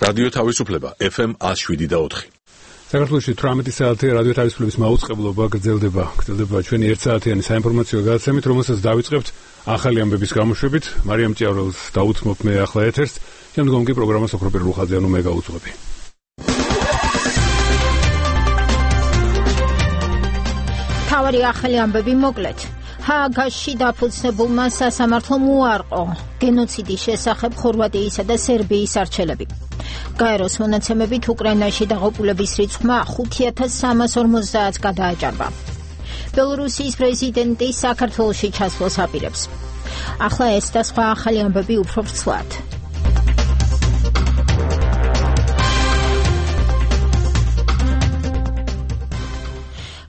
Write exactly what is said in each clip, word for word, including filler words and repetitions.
რადიო თავისუფლება ეფ ემ ათს შვიდი და ოთხი. საქართველოში თვრამეტი საათი რადიო თავისუფლების მაუწყებლობა გრძელდება. გრძელდება ჩვენი ერთ საათიანი საინფორმაციო გადაცემით, რომელსაც დავიწყებთ ახალი ამბების გამოშვებით. მარიამ ჭიავრელს დაუცმობ მე ახლა ეთერს. შემდგომ კი პროგრამას ოქროპირ ლუხაძეანო მე გავუძღვები. თავარი ახალი ამბები მოკლედ. ჰააგაში დაფუძნებულმა სასამართლომ უარყო გენოციდის შესახებ ხორვატიისა და სერბიის არჩევლები. გაეროს მონაცემებით უკრაინაში დაღუპულების რიცხვმა ხუთი ათას სამას ორმოცდაათს გადააჭარბა. ბელორუსიის პრეზიდენტი საქართველოში ჩასვლას აპირებს. ახლა ეს და სხვა ახალი ამბები უფრო ვრცლად.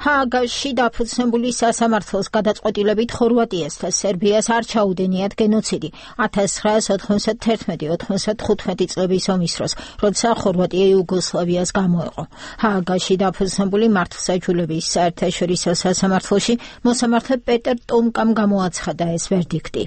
ჰააგაში დაფუძნებული სასამართლოს გადაწყვეტილებით ხორვატიას და სერბიას არ ჩაუდენიათ გენოციდი ათას ცხრაას ოთხმოცდათერთმეტი ოთხმოცდახუთმეტი წლების ომის დროს, როცა ხორვატია იუგოსლავიას გამოეყო. ჰააგაში დაფუძნებული მართლმსაჯულების საერთაშორისო სასამართლოში მოსამართლე პეტერ ტომკამ გამოაცხადა ეს ვერდიქტი.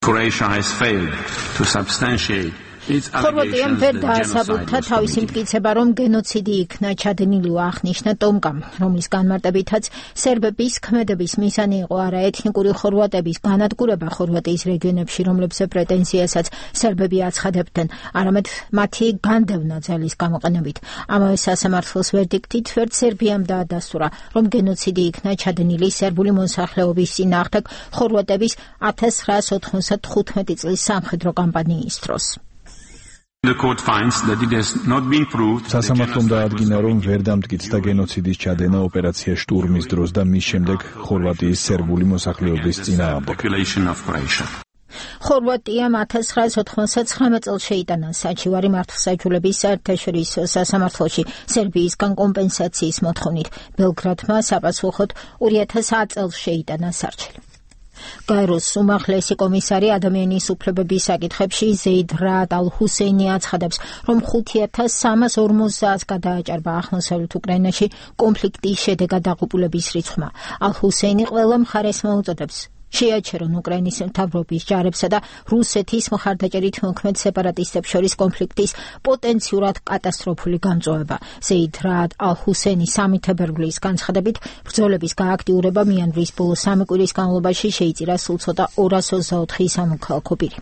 Croatia has failed to substantiate ხორვატიამ ვერ დაასაბუთა თავისი მტკიცება, რომ გენოციდი იქნა ჩადენილი, აღნიშნა ტომკამ, რომლის განმარტებითაც სერბების ქმედების მიზანი იყო არა ეთნიკური ხორვატების განადგურება ხორვატიის რეგიონებში, რომლებზე პრეტენზიასაც სერბები აცხადებდნენ, არამედ მათი განდევნა ძალის გამოყენებით. ამავე სასამართლოს ვერდიქტით ვერც სერბიამ დაადასტურა, რომ გენოციდი იქნა ჩადენილი სერბული მოსახლეობის წინააღმდეგ ხორვატების ათას ცხრაას ოთხმოცდახუთმეტი წლის სამხედრო კამპანიის დროს. სასამართლომ დაადგინა, რომ ვერ დამტკიცდა გენოციდის ჩადენა ოპერაცია შტურმის დროს და მის შემდეგ ხორვატიის სერბული მოსახლეობის წინააღმდეგ. ხორვატიამ ათას ცხრაას ოთხმოცდათხრამეტ წელს შეიტანა საჩივარი მართლმსაჯულების საერთაშორისო სასამართლოში სერბიისგან კომპენსაციის მოთხოვნით. ბელგრადმა საპასუხოდ ორი ათას ათ წელს შეიტანა სარჩელი. გაეროს უმაღლესი კომისარი ადამიანის უფლებების საკითხებში ზეიდ რაად ალ-ჰუსეინი აცხადებს, რომ ხუთი ათას სამას ორმოცდაათს გადააჭარბა აღმოსავლეთ უკრაინაში კონფლიქტის შედეგად დაღუპულების რიცხვმა. ალ-ჰუსეინი ყველა მხარეს მოუწოდებს შეაჩერონ უკრაინის მთავრობის ჯარებსა და რუსეთის მხარდაჭერით მოქმედ სეპარატისტებს შორის კონფლიქტის პოტენციურად კატასტროფული გამწვავება. ზეიდ რაად ალ-ჰუსეინი სამი თებერვლის განცხადებით, ბრძოლების გააქტიურება მიანვრის ბოლო სამი კვირის განმავლობაში შეიწირა სულ ცოტა ორას ოცდაოთხი სამოქალაქო პირი.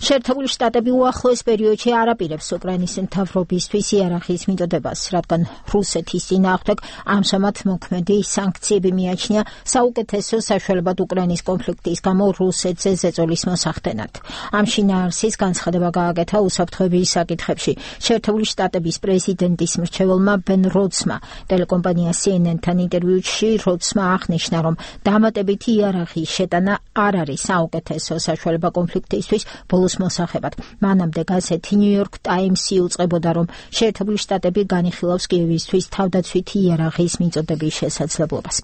შეერთებული შტატები უახლოეს პერიოდში არ აპირებს უკრაინის მთავრობისთვის იარაღის მიწოდებას, რადგან რუსეთის წინააღმდეგ ამჟამად მოქმედი სანქციები მიაჩნია საუკეთესო საშუალებად უკრაინის კონფლიქტის გამო რუსეთზე ზეწოლის მოსახდენად. ამ შინაარსის განცხადება გააკეთა უსაფრთხოების საკითხებში შეერთებული შტატების პრეზიდენტის მრჩეველმა ბენ როდსმა. ტელეკომპანია სი ენ ენ-თან ინტერვიუში როდსმა აღნიშნა, რომ დამატებითი იარაღის შეტანა არ არის საუკეთესო საშუალება კონფლიქტისთვის ბოლოს მოსახებად. მანამდე გაზეთი ნიუ-იორკ ტაიმსი უწყებოდა, რომ შეერთებული შტატები განიხილავს კიევისთვის თავდაცვითი იარაღის მიწოდების შესაძლებლობას.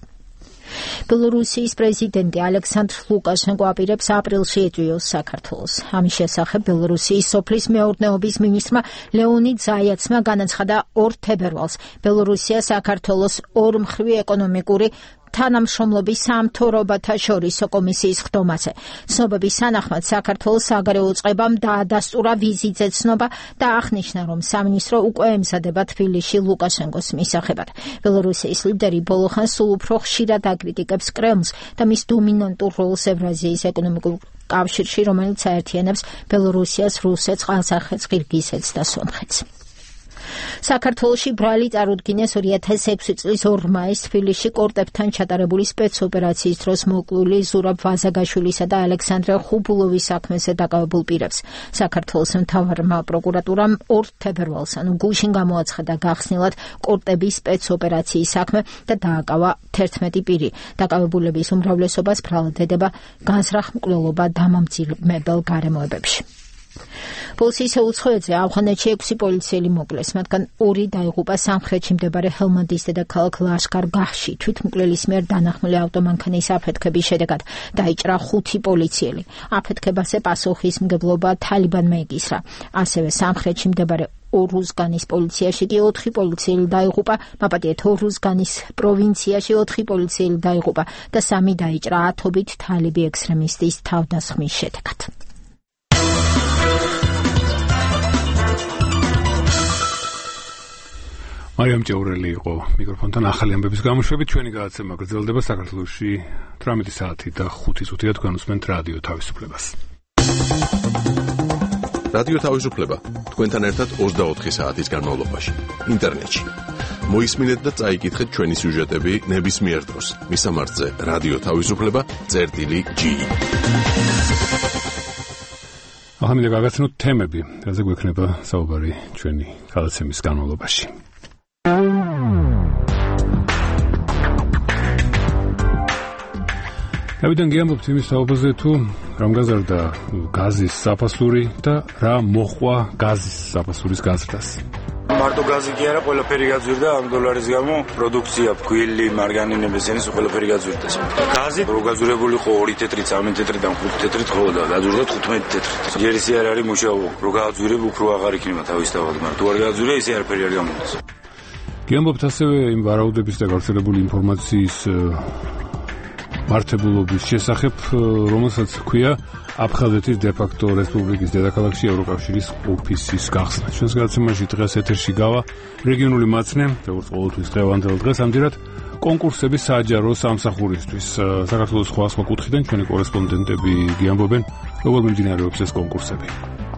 ბელორუსიის პრეზიდენტი ალექსანდრ ლუკაშენკო აპირებს აპრილში ეწვიოს საქართველოს. ამის შესახებ ბელორუსიის სოფლის მეურნეობის მინისტრმა ლეონიდ ზაიაცმა განაცხადა ორ თებერვალს ბელორუსია საქართველოს ორმხრივი ეკონომიკური თანამშრომლობის სამთავრობათა შორისო კომისიის ხდომაზე. ცნობების თანახმად საქართველოს საგარეო წყებამ დაადასტურა ვიზიტზე ცნობა და აღნიშნა, რომ სამინისტრო უკვე ემზადება თბილისში ლუკაშენკოს მისაღებად. ბელორუსიის ლიდერი ბოლო ხანს სულ უფრო ხშირად აკრიტიკებს კრემლს და მის დომინანტურ როლს ევრაზიის ეკონომიკურ კავშირში, რომელიც აერთიანებს ბელორუსიას, რუსეთს, ყაზახეთს, ყირგიზეთს და სომხეთს. საქართველოში ბრალი წარუდგინეს ორი ათას ექვსი წლის ორ მაისს თბილისში კორტებთან ჩატარებული სპეცოპერაციის დროს მოკლული ზურაბ ვაზაგაშვილისა და ალექსანდრე ხუბულოვის საქმეზე დაკავებულ პირებს. საქართველოს მთავარმა პროკურატურამ ორ თებერვალს, ანუ გუშინ გამოაცხადა გახსნილად კორტების სპეცოპერაციის საქმე და დააკავა თერთმეტი პირი. დაკავებულების უმრავლესობას ბრალად ედება განზრახ მკვლელობა დამამძიმებელ გარემოებებში. პოლიციის უცხოეთზე ავღანეთში ექვსი პოლიციელი მოკლეს, მათგან ორი დაიღუპა სამხრეთში მდებარე ჰელმანდის დედაქალაქ ლაშკარ-გაჰში. თვითმკვლელის მიერ დანახმული ავტომანქანის აფეთქების შედეგად დაიჭრა ხუთი პოლიციელი. აფეთქებაზე პასუხისმგებლობა თალიბანმა ეკისრა. ასევე სამხრეთში მდებარე ორუზგანის პოლიციაში კი ოთხი პოლიციელი დაიღუპა, მაპატიეთ ორუზგანის პროვინციაში ოთხი პოლიციელი დაიღუპა და სამი დაიჭრა ათობით თალიბი ექსტრემისტის თავდასხმის შედეგად. მარიამ ჭეურელი იყო მიკროფონთან ახალი ამბების გამოშვებით. ჩვენი გადაცემა გრძელდება საქართველოში თვრამეტი საათი და ხუთი წუთია. თქვენ უსმენთ რადიო თავისუფლებას. რადიო თავისუფლება თქვენთან ერთად ოცდაოთხი საათის განმავლობაში ინტერნეტში. მოისმინეთ და წაიკითხეთ ჩვენი სიუჟეტები ნებისმიერ დროს. მისამართზე რადიო თავისუფლება წერტილი ჯი. ახლა მინდა გაგაცნოთ თემები, რაზე გვექნება საუბარი ჩვენი გადაცემის განმავლობაში. დავიდან გიამბობთ იმის საუბარზე თუ რამ გაზარდა გაზის საფასური და რა მოხვა გაზის საფასურის გაზრდას. მარტო გაზი კი არა, ყველაფერი გაძვირდა ამ დოლარის გამო, პროდუქცია, ფქვილი, მარგანინების ენის ყველაფერი გაძვირდა. გაზი რო გაძვირებული ხო ორი თეთრით, სამი თეთრიდან ხუთი თეთრით ხო და გაძვირდა თხუთმეტი თეთრით. ჯერ ისე არ არის მუშაობა, რო გაძვირებ უფრო აღარ იქნება თავისთავად, მაგრამ თუ არ გაძვირე ისე არაფერი არ გამოდის. გიამბობთ ასევე იმ ვარაუდების და გავრცელებული ინფორმაციის მართებულობის შესახებ, რომელსაც ჰქვია აფხაზეთის დე-ფაქტო რესპუბლიკის დედაქალაქში ევროკავშირის ოფისის გახსნა. ჩვენს გადაცემაში დღეს ეთერში გავა რეგიონული მაცნე, როგორც ყოველთვის დღევანდელ დღეს, ამჯერად კონკურსების საჯარო სამსახურისთვის. საქართველოს სხვა სხვა კუთხიდან ჩვენი კორესპონდენტები გიამბობენ, როგორ მიმდინარეობს ეს კონკურსები.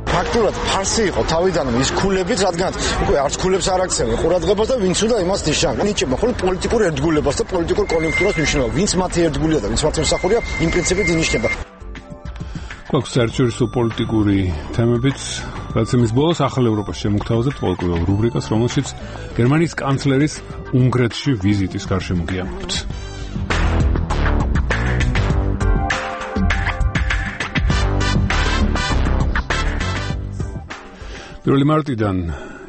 ფაქტურად ფარსი იყო თავიდან ის ქულებიც, რადგან უკვე არც ქულებს არ აქცევენ ყურადღებას და ვინც უნდა იმას ნიშნავენ. ნიჭება ხოლმე პოლიტიკურ ერთგულებას და პოლიტიკურ კონიუნქტურას ნიშნავს. ვინც მათი ერთგულია და ვინც მათი მსახურია, იმ პრინციპით ინიშნება. გვაქვს საერთაშორისო პოლიტიკური თემებიც. გადაცემის ბოლოს ახალ ევროპას შემოგთავაზებთ ყოველკვირეულ რუბრიკას, რომელშიც გერმანიის კანცლერის უნგრეთში ვიზიტის გარშემო გიამბობთ. პირველი მარტიდან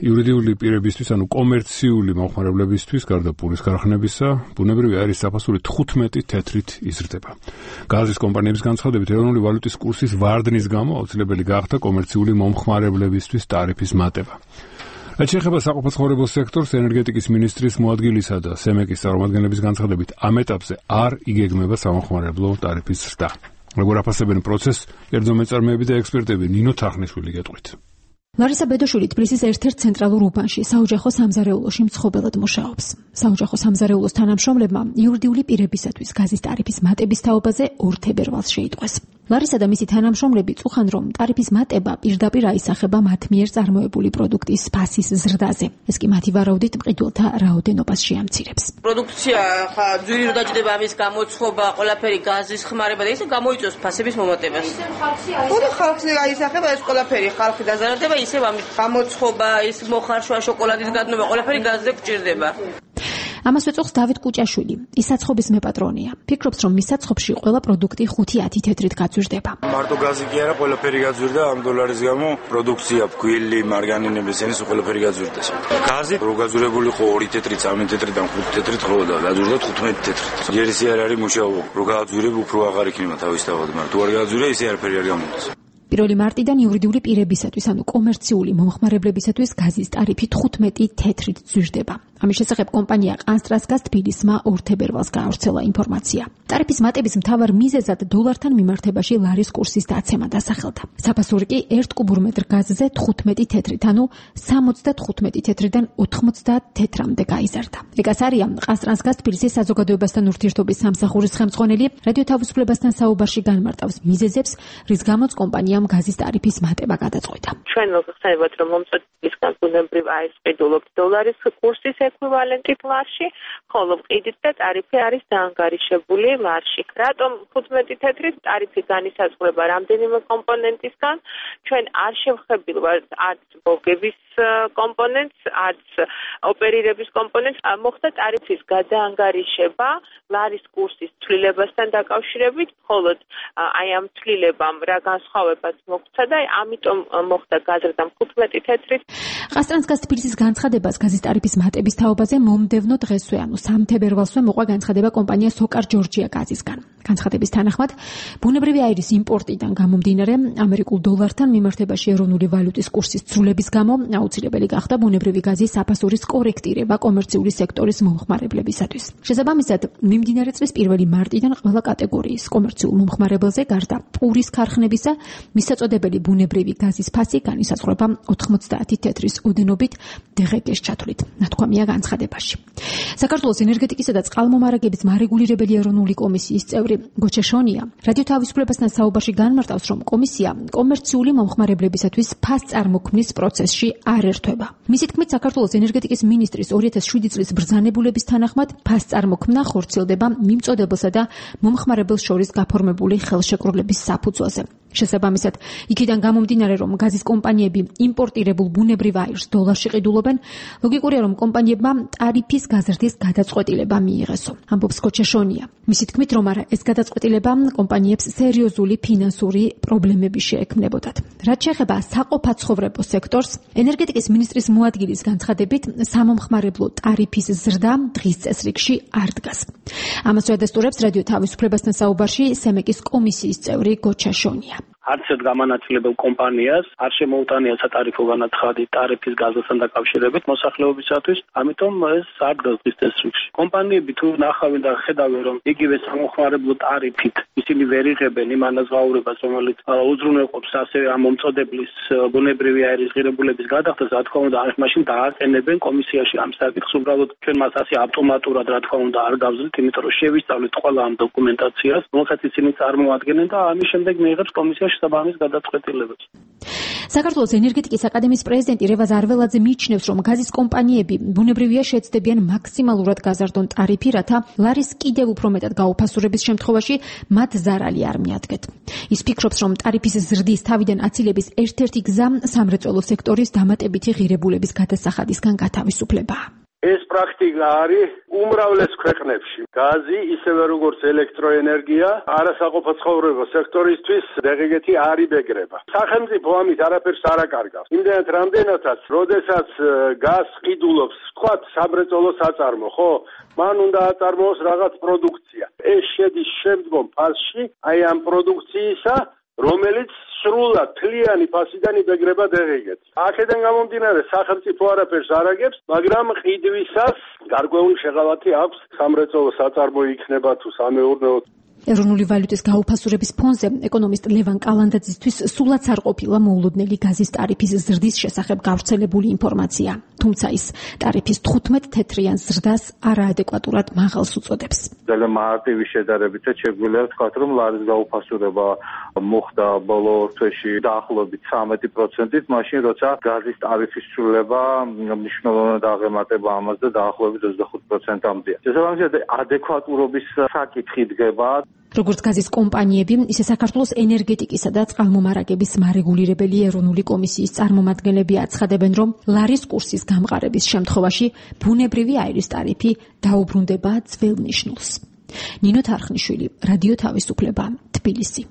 იურიდიული პირებისთვის, ანუ კომერციული მომხმარებლებისთვის, გარდა პურის ქარხნებისა, ბუნებრივი არის საფასური თხუთმეტი თეთრით იზრდება. გაზის კომპანიების განცხადებით, ეროვნული ვალუტის კურსის ვარდნის გამო აუცილებელი გახდა კომერციული მომხმარებლებისთვის ტარიფის მატება. რაც შეეხება საყოფაცხოვრებო სექტორს, ენერგეტიკის მინისტრის მოადგილისა და სემეკის წარმომადგენლების განცხადებით, ამ ეტაპზე არ იგეგმება სამომხმარებლო ტარიფის ზრდა. როგორ აფასებენ პროცესს, კერძო მეწარმეები და ექსპერტები, ნინო თახნიშვილი გეტყვით. ლარისა ბედოშვილი თბილისის ერთ-ერთ ცენტრალურ უბანში საოჯახო სამზარეულოში მცხოვრებლად მუშაობს. საოჯახო სამზარეულოს თანამშრომლებმა იურიდიული პირებისათვის გაზის ტარიფის მატების თაობაზე ორ თებერვალს შეიტყვეს. ლარისა და მისი თანამშრომლები წუხან, რომ ტარიფის მატება პირდაპირ აისახება მათ მიერ წარმოებული პროდუქტის ფასის ზრდაზე. ეს კი მათი ვარაუდით მყიდველთა რაოდენობას შეამცირებს. პროდუქცია ხა ძვირი რო დაჭდება ამის გამოცხობა, ყველაფერი გაზის ხმარება და ისე გამოიწვევს ფასების მომატებას. ხოდა ხალხი აისახება ეს ყველაფერი, ხალხი დაზარალდება, ისე ამის გამოცხობა, ის მოხარშვა, შოკოლადის გადნობა, ყველაფერი გაზზე გვჭირდება. ამას ეწოხს დავით კუჭაშვილი, ის საცხობის მეპატრონია. ფიქრობს, რომ მის საცხობში ყველა პროდუქტი ხუთი ათი თეთრით გაძვირდება. მარტო გაზი კი არა, ყველაფერი გაძვირდა ამ დოლარის გამო, პროდუქცია, ფქვილი, მარგანინების ენის ყველაფერი გაძვირდა. გაზი რო გაძვირებული ხო ორი თეთრით, სამი თეთრიდან ხუთი თეთრით ხო და გაძვირდა თხუთმეტი თეთრით. ჯერ ისე არ არის მუშაობა, რო გაძვირებ უფრო აღარ იქნება თავისთავად, მაგრამ თუ არ გაძვირე ისე არაფერი არ გამოდის. პირველი მარტიდან იურიდიული პირებისათვის, ანუ კომერციული მომხმარებლებისათვის გაზის ტარიფი თხუთმეტი თეთრით ზვირდება. ამის შესახებ კომპანია ყანსტრასგაზ თბილისმა ორ თებერვალს გაავრცელა ინფორმაცია. ტარიფის მატების მთავარ მიზეზად დოლართან მიმართებაში ლარის კურსის დაცემა დასახელდა. საფასური კი ერთ კუბურ მეტრ გაზზე თხუთმეტი თეთრით, ანუ სამოცდათხუთმეტი თეთრიდან ოთხმოცდაათ თეთრამდე გაიზარდა. ეგას არია ყანსტრასგაზ თბილისის საზოგადოებასთან ურთიერთობის სამსახურის ხელმძღვანელი რადიო თავისუფლებასთან საუბარში განმარტავს მიზეზებს, რის გამოც კომპანიამ გაზის ტარიფის მატება გადაწყვიტა. ჩვენ მოგხსენებათ, რომ მომწოდისგან ბუნებრივ აისყიდულობთ დოლარის კურსის ეკვივალენტით ლარში, ხოლო ყიდით და ტარიფი არის დაანგარიშებული ლარში. რატომ თხუთმეტი თეთრით ტარიფი განისაზღვრება რამდენიმე კომპონენტისგან? ჩვენ არ შევხებილვართ არც მოგების კომპონენტს, არც ოპერირების კომპონენტს. მოხდა ტარიფის გადაანგარიშება ლარის კურსის ცვლილებასთან დაკავშირებით, მხოლოდ აი ამ ცვლილებამ რა განსხვავებაც მოხდა და ამიტომ მოხდა გაზრდა თხუთმეტი თეთრით. ყანსტრასგაზ თბილისის განცხადებას გაზის ტარიფის მატების თაობაზე მომდევნო დღესვე, ანუ სამ თებერვალსვე მოყვა განცხადება კომპანია სოკარ ჯორჯია გაზისგან. განცხადების თანახმად, ბუნებრივი აირის იმპორტიდან გამომდინარე ამერიკულ დოლართან მიმართებაში ეროვნული ვალუტის კურსის ცვლილების გამო აუცილებელი გახდა ბუნებრივი გაზის საფასურის კორექტირება კომერციული სექტორის მომხმარებლებისათვის. შესაბამისად, მიმდინარე წლის პირველი მარტიდან ყველა კატეგორიის კომერციულ მომხმარებელზე გარდა პურის ქარხნებისა მისაწოდებელი ბუნებრივი გაზის ფასი განისაზღვრება ოთხმოცდაათი თეთრის ოდენობით დღგ-ს ჩათვლით, ნათქვამია განცხადებაში. საქართველოს ენერგეტიკისა და წყალმომარაგების მარეგულირებელი ეროვნული კომისიის წევრი გოჩა შონია რადიო თავისუფლებასთან საუბარში განმარტავს, რომ კომისია კომერციული მომხმარებლებისათვის ფასწარმოქმნის პროცესში არ ერთვება. მისი თქმით, საქართველოს ენერგეტიკის მინისტრის ორი ათას შვიდი წლის ბრძანებულების თანახმად ფასწარმოქმნა ხორციელდება მიმწოდებელსა და მომხმარებელს შორის გაფორმებული ხელშეკრულების საფუძველზე. შესაბამისად, იქიდან გამომდინარე, რომ გაზის კომპანიები იმპორტირებულ ბუნებრივ აირს დოლარში ყიდულობენ, ლოგიკურია, რომ კომპანიებმა ტარიფის გაზრდის გადაწყვეტილება მიიღესო. ამბობს გოჩა შონია. მისი თქმით, რომ არა, ეს გადაწყვეტილება კომპანიებს სერიოზული ფინანსური პრობლემები შეექმნებოდათ. რაც შეეხება საყოფაცხოვრებო სექტორს, ენერგეტიკის მინისტრის მოადგილის განცხადებით, სამომხმარებლო ტარიფის ზრდა დღის წესრიგში არ დგას. ამას უადასტურებს რადიო თავისუფლებასთან საუბარში სემეკის კომისიის წევრი გოჩა შონია. არც ერთ გამანაწილებელ კომპანიას არ შემოუტანია სატარიფო განაცხადი ტარიფის გაზასთან დაკავშირებით მოსახლეობისათვის, ამიტომ ეს არ დგას დღის წესრიგში. კომპანიები თუ ნახავენ და ხედავენ, რომ იგივე სამომხმარებლო ტარიფით ისინი ვერ იღებენ იმ ანაზღაურებას, რომელიც უზრუნველყოფს ასევე ამ მომწოდებლის ბუნებრივი აირის ღირებულების გადახდას, რა თქმა უნდა, მაშინ დააყენებენ კომისიაში ამ საკითხს. უბრალოდ ჩვენ მას ასე ავტომატურად, რა თქმა უნდა, არ გავზრდით, იმიტომ რომ შევისწავლეთ ყველა ამ დოკუმენტაციას, რომელსაც ისინი წარმოადგენენ და ამის შემდეგ მიიღებს კომისიაში საბამის გადაწყვეტილებებს. საქართველოს ენერგეტიკის აკადემიის პრეზიდენტი რევაზ არველაძე მიიჩნევს, რომ გაზის კომპანიები ბუნებრივია შეეცდებიან მაქსიმალურად გაზარდონ ტარიფი, რათა ლარის კიდევ უფრო მეტად გაუფასურების შემთხვევაში მათ ზარალი არ მიადგეთ. ის ფიქრობს, რომ ტარიფის ზრდის თავიდან აცილების ერთ-ერთი გზა სამრეწველო სექტორის დამატებითი ღირებულების გადასახადისგან გათავისუფლებაა. ეს პრაქტიკა არის უმრავლეს ქვეყნებში. გაზი, ისევე როგორც ელექტროენერგია, არასაყოფაცხოვრებო სექტორისთვის დღგ-ი არ იბეგრება. სახელმწიფო ამით არაფერს არ აკარგავს. იმდენად რამდენადაც, როდესაც გაზს ყიდულობს, ვთქვათ, სამრეწველო საწარმო, ხო? მან უნდა აწარმოოს რაღაც პროდუქცია. ეს შედის შემდგომ ფაზში, აი ამ პროდუქციისა, რომელიც სრულად თლიანი ფასიდან იბეგრება დღგ-ს. აქედან გამომდინარე, სახელმწიფო არაფერს არ აგებს, მაგრამ ყიდვისას გარკვეული შეღავათი აქვს, სამრეწველო საწარმო იქნება თუ სამეურნეო. ეროვნული ვალუტის გაუფასურების ფონზე ეკონომისტ ლევან კალანდაძისთვის სულაც არ ყოფილა მოულოდნელი გაზის ტარიფის ზრდის შესახებ გავრცელებული ინფორმაცია. თუმცა ის ტარიფის თხუთმეტ თეთრიან ზრდას არაადეკვატურად მაღალს უწოდებს. ძალიან მარტივი შედარებითაც შეგვიძლია ვთქვათ, რომ ლარის გაუფასურება მოხდა ბოლო თვეში დაახლოებით ცხრამეტი პროცენტით, მაშინ როცა გაზის ტარიფის ცვლილება მნიშვნელოვნად აღემატება ამას და დაახლოებით ოცდახუთ პროცენტამდეა. შესაბამისად, ადეკვატურობის საკითხი დგება. როგორც გაზის კომპანიები, ისე საქართველოს ენერგეტიკისა და წყალმომარაგების მარეგულირებელი ეროვნული კომისიის წარმომადგენლები აცხადებენ, რომ ლარის კურსის გამყარების შემთხვევაში ბუნებრივი აირის ტარიფი დაუბრუნდება ძველ ნიშნულს. ნინო თარხნიშვილი, რადიო თავისუფლება, თბილისი.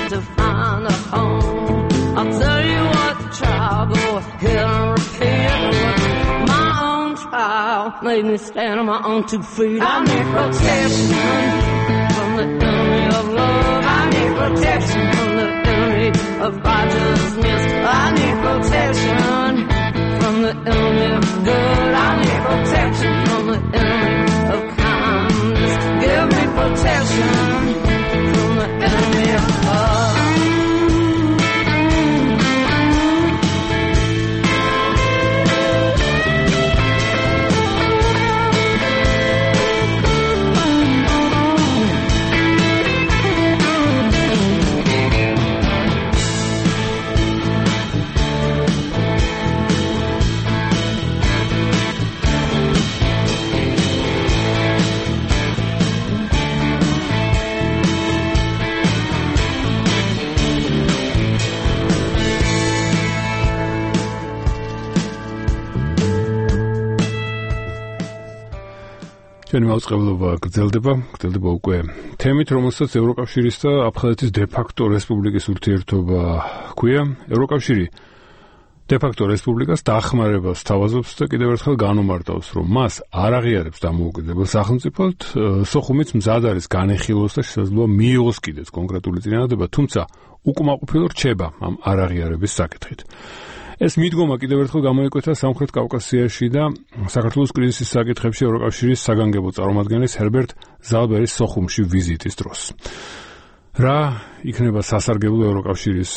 To find made me stand on my own two feet. I need protection from the enemy of love. I need protection from the enemy of righteousness. I need protection from the enemy of good. I need protection from the enemy of kindness. Give me protection from the enemy of love. ჩვენი მაუწყებლობა გრძელდება, გრძელდება უკვე თემით, რომელსაც ევროკავშირის და აფხაზეთის დე-ფაქტო რესპუბლიკის ურთიერთობა ჰქვია. ევროკავშირი დე-ფაქტო რესპუბლიკას დახმარებას თავაზობს და კიდევ ერთხელ განუმარტავს, რომ მას არ აღიარებს დამოუკიდებელ სახელმწიფოდ, სოხუმიც მზად არის განეხილოს და შესაძლოა მიიღოს კიდეც კონკრეტული წინადადება, თუმცა უკმაყოფილო რჩება ამ არ აღიარების საკითხით. ეს მიდგომა კიდევ ერთხელ გამოიკვეთა სამხრეთ კავკასიაში და საქართველოს კრიზისის საკითხებში ევროკავშირის საგანგებო წარმომადგენლის ჰერბერტ ზალბერის სოხუმში ვიზიტის დროს. რა იქნება სასარგებლო ევროკავშირის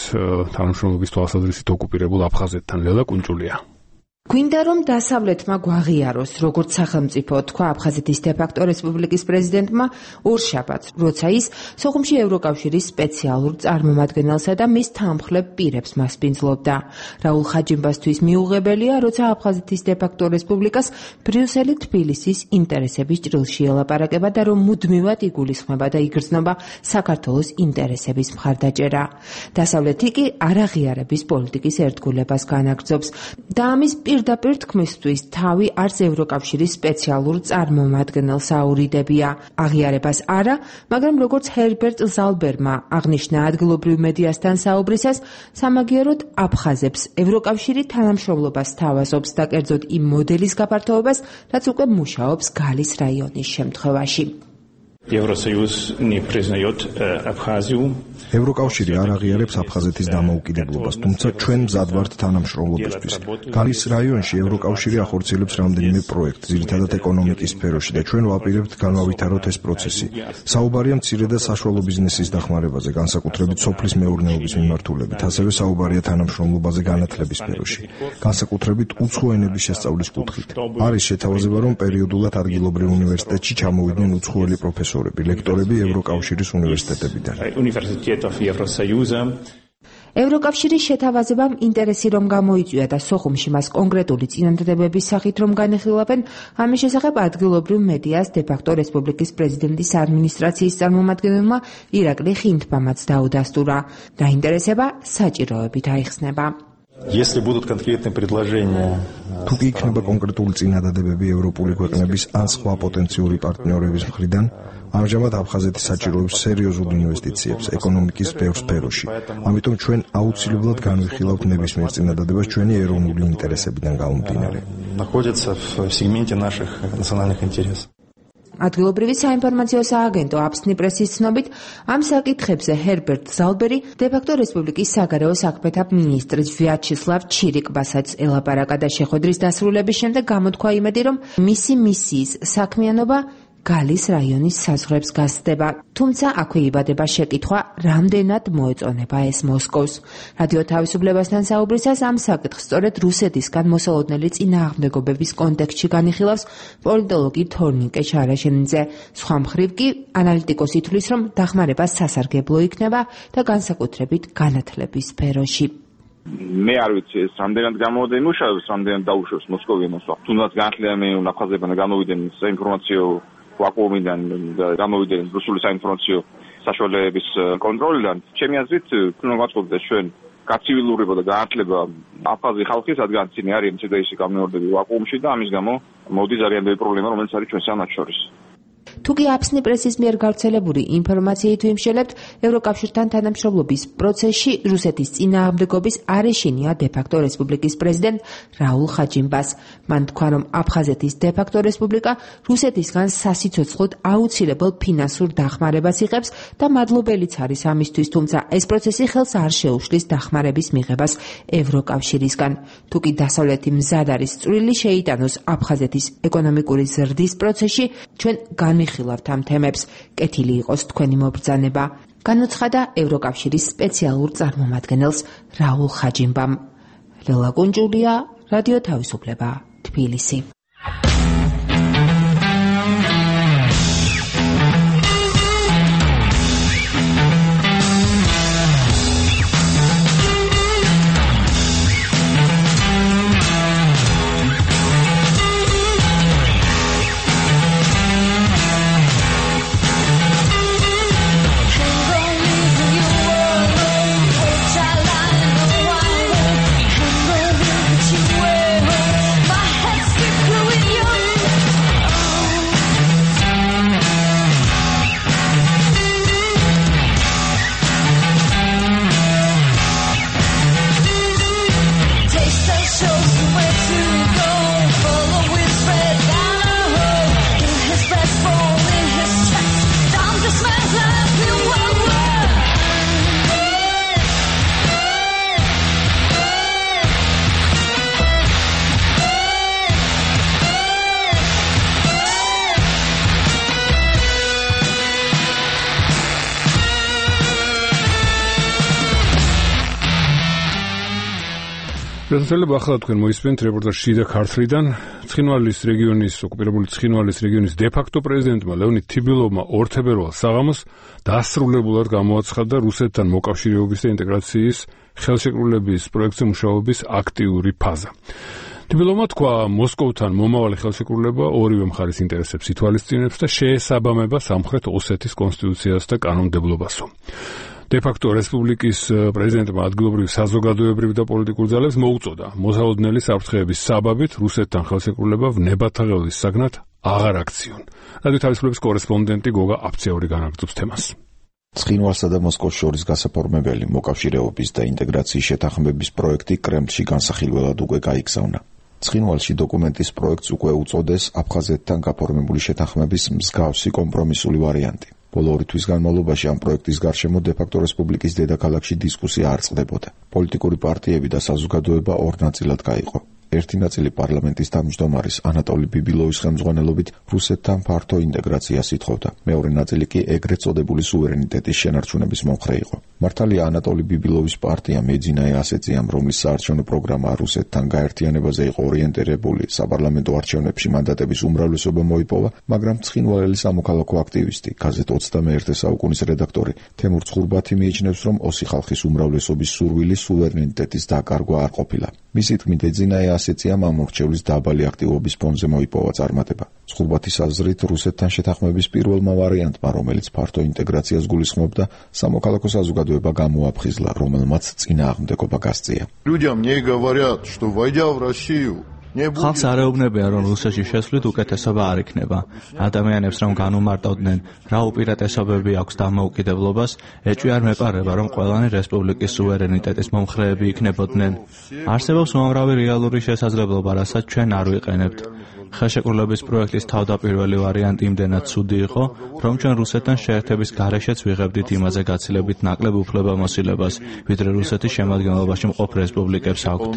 თანამშრომლობის თვალსაზრისით ოკუპირებულ აფხაზეთთან? ლელა კუნჭულია. გვინდა რომ დასავლეთმა გვაღიაროს, როგორც სახელმწიფო, თქვა აფხაზეთის დე-ფაქტო რესპუბლიკის პრეზიდენტმა ორშაბათს, როცა ის სოხუმში ევროკავშირის სპეციალურ წარმომადგენელსა და მის თანმხლებ პირებს მასპინძლობდა. რაულ ხაჯიმბასთვის მიუღებელია, როცა აფხაზეთის დე-ფაქტო რესპუბლიკას ბრიუსელი თბილისის ინტერესების ჭრილში ელაპარაკება და რომ მუდმივად იგულისხმება და იგრძნობა საქართველოს ინტერესების მხარდაჭერა. დასავლეთი კი არაღიარების პოლიტიკის ერთგულებას განაგრძობს და ამის პირდაპირ თქმისთვის თავი არც ევროკავშირის სპეციალურ წარმომადგენელს აურიდებია. აღიარებას არა, მაგრამ როგორც ჰერბერტ ზალბერმა აღნიშნა ადგილობრივ მედიასთან საუბრისას, სამაგიეროდ აფხაზებს ევროკავშირი თანამშრომლობას თავაზობს და კერძოდ იმ მოდელის გაფართოებას, რაც უკვე მუშაობს გალის რაიონის შემთხვევაში. Евросоюз не признает Абхазию. ევროკავშირი არ აღიარებს აფხაზეთის დამოუკიდებლობას, თუმცა ჩვენ მზად ვართ თანამშრომლობისთვის. გალის რაიონში ევროკავშირი ახორციელებს რამდენიმე პროექტს, ძირითადად ეკონომიკის სფეროში და ჩვენ ვაპირებთ განავითაროთ ეს პროცესი. საუბარია მცირე და საშუალო ბიზნესის დახმარებაზე, განსაკუთრებით სოფლის მეურნეობის მიმართულებით, ასევე საუბარია თანამშრომლობაზე განათლების სფეროში, განსაკუთრებით უცხო ენების შესწავლის კუთხით. არის შეთავაზება, რომ პერიოდულად ადგილობრივ უნივერსიტეტში ჩამოვიდნენ უცხოელი პროფესორები, ლექტორები ევროკავშირის უნივერსიტეტებიდან. ევროკავშირის შეთავაზებამ ინტერესი რომ გამოიწვია და სოხუმში მას კონკრეტული წინადადებების სახით რომ განეხილავენ, ამის შესახებ ადგილობრივ მედიას დე-ფაქტო რესპუბლიკის პრეზიდენტის ადმინისტრაციის წარმომადგენელმა ირაკლი ხინთბამაც დაუდასტურა. დაინტერესება საჭიროებით აიხსნება. Если будут конкретные предложения, თუ კი იქნება კონკრეტული წინადადებები ევროპული ქვეყნების ან სხვა პოტენციური პარტნიორების მხრიდან, ამჟამად აფხაზეთი საჭიროებს სერიოზულ ინვესტიციებს ეკონომიკის ბევრ სფეროში. ამიტომ ჩვენ აუცილებლად განვიხილავთ ნებისმიერ წინადადებას ჩვენი ეროვნული ინტერესებიდან გამომდინარე. находятся в сегменте наших национальных интересов. ადგილობრივი საინფორმაციო სააგენტო აფსნი პრესის ცნობით, ამ საკითხებზე ჰერბერტ ზალბერი დე-ფაქტო რესპუბლიკის საგარეო საქმეთა მინისტრი ვიაჩესლავ ჩირიკბასაც ელაპარაკა და შეხვედრის დასრულების შემდეგ გამოთქვა იმედი, რომ მისი მისიის საქმიანობა გალის რაიონის საზღვრებს გასცდება, თუმცა აქვე იბადება შეკითხვა, რამდენად მოეწონება ეს მოსკოვს. რადიო თავისუფლებასთან საუბრისას ამ საკითხს სწორედ რუსეთისგან მოსალოდნელი წინააღმდეგობების კონტექსტში განიხილავს პოლიტოლოგი თორნიკე შარაშენიძე. სხვა მხრივ კი ანალიტიკოსი თვლის, რომ დახმარება სასარგებლო იქნება და განსაკუთრებით განათლების სფეროში. მე არ ვიცი ეს რამდენად გამოვიდა იმუშავებს, რამდენად დაუშვებს მოსკოვიანოს. თუნდაც განათლება უნდა ყაზებან გამოვიდნენ საინფორმაციო ვაკუუმიდან და გამოვიდნენ რუსული საინფორმაციო საშუალებების კონტროლიდან. ჩემი აზრით, უნდა ვაწყობდეს ჩვენ კაცივილურობა და განათლება აფხაზი ხალხის, რადგან წინი არის მცირეისი გამეორდები ვაკუუმში და ამის გამო მოდის არიანტები პრობლემა, რომელიც არის ჩვენ სამათ შორის. თუკი აფსნი პრესის მიერ გავრცელებული ინფორმაციით ვიმშელებთ, ევროკავშირთან თანამშრომლობის პროცესში რუსეთის წინააღმდეგობის არეშინია დე-ფაქტო რესპუბლიკის პრეზიდენტ რაულ ხაჯიმბას. მან თქვა, რომ აფხაზეთის დე-ფაქტო რესპუბლიკა რუსეთისგან სასიცოცხლოდ აუცილებელ ფინანსურ დახმარებას იღებს და მადლობელიც არის ამისთვის, თუმცა ეს პროცესი ხელს არ შეუშლის დახმარების მიღებას ევროკავშირისგან. თუკი დასავლეთი მზად არის წვრილი შეიტანოს აფხაზეთის ეკონომიკური ზრდის პროცესში, ჩვენ განვიხილავთ ამ თემებს. კეთილი იყოს თქვენი მობრძანება, განუცხადა ევროკავშირის სპეციალურ წარმომადგენელს რაულ ხაჯიმბამ. ლელა გუნჯულია, რადიო თავისუფლება, თბილისი. შესაძლოა ახლა თქვენ მოისმენთ რეპორტაჟ შიდა ქართლიდან. ცხინვალის რეგიონის ოკუპირებული ცხინვალის რეგიონის დე-ფაქტო პრეზიდენტმა ლეონიდ თიბილოვმა ორ თებერვალს საღამოს დასრულებულად გამოაცხადა რუსეთთან მოკავშირეობის და ინტეგრაციის ხელშეკრულების პროექტზე მუშაობის აქტიური ფაზა. თიბილოვმა თქვა, მოსკოვთან მომავალი ხელშეკრულება ორივე მხარის ინტერესებს ითვალისწინებს და შეესაბამება სამხრეთ ოსეთის კონსტიტუციას და კანონმდებლობასო. დე-ფაქტო რესპუბლიკის პრეზიდენტმა ადგილობრივ საზოგადოებრივ და პოლიტიკურ ძალებს მოუწოდა მოსაოდნელი საფრთხეების საბაბით რუსეთთან ხელშეკრულება ვნებათაღელვის საგნად აღარ აქციონ. რადიო თავისუფლების კორესპონდენტი გოგა აფციური განაგრძობს თემას. ცხინვალსა და მოსკოვს შორის გასაფორმებელი მოკავშირეობის და ინტეგრაციის შეთანხმების პროექტი კრემლში განსახილველად უკვე გაიგზავნა. ცხინვალში დოკუმენტის პროექტს უკვე უწოდეს აფხაზეთთან გაფორმებული შეთანხმების მსგავსი კომპრომისული ვარიანტი. ბოლო ორი თვის განმავლობაში ამ პროექტის გარშემო დე-ფაქტო რესპუბლიკის დედაქალაქში დისკუსია არ წყდებოდა. პოლიტიკური პარტიები და საზოგადოება ორ ნაწილად გაიყო. ერთი ნაწილი პარლამენტის თავმჯდომარის ანატოლი ბიბილოვის ხელმძღვანელობით რუსეთთან ფართო ინტეგრაციას ითხოვდა. მეორე ნაწილი კი ეგრეთ წოდებული სუვერენიტეტის შენარჩუნების მომხრე იყო. მართალია ანატოლი ბიბილოვის პარტია მეძინაე ასეციამ, რომლის საარჩევნო პროგრამა რუსეთთან გაერთიანებაზე იყო ორიენტირებული, საპარლამენტო არჩევნებში მანდატების უმრავლესობა მოიპოვა, მაგრამ ცხინვალელი სამოქალაქო აქტივისტი, გაზეთ ოცდამეერთე საუკუნის რედაქტორი თემურ ცხურბათი მიიჩნევს, რომ ოსი ხალხის უმრავლესობის სურვილი სუვერენიტეტის დაკარგვა არ ყოფილა. მისი თქმით, ეძინაე ასეციამ ამ მორჩევლის დაბალი აქტივობის ფონზე მოიპოვა წარმატება. ცხურბათის აზრით, რუსეთთან შეთანხმების პირველმა ვარიანტმა, რომელიც ფართო ინტეგრაციას გულისხმობდა, სამოქალაქო საზოგადოება გამოაფხიზლა, რომელმაც წინააღმდეგობა გასწია. Людям не говорят, что войдя в Россию ხალხს არ ეუბნებიან, რომ რუსეთში შესვლით უკეთესობა არ იქნება. ადამიანებს რომ განუმარტავდნენ, რა უპირატესობები აქვს დამოუკიდებლობას, ეჭვი არ მეპარება, რომ ყველანი რესპუბლიკის სუვერენიტეტის მომხრეები იქნებოდნენ. არსებობს უამრავი რეალური შესაძლებლობა, რასაც ჩვენ არ ვიყენებთ. ხელშეკრულების პროექტის თავდაპირველი ვარიანტი იმდენად ცუდი იყო, რომ ჩვენ რუსეთთან შეერთების გარეშეც ვიღებდით იმაზე გაცილებით ნაკლებ უფლებამოსილებას, ვიდრე რუსეთის შემადგენლობაში მყოფ რესპუბლიკებს აქვთ.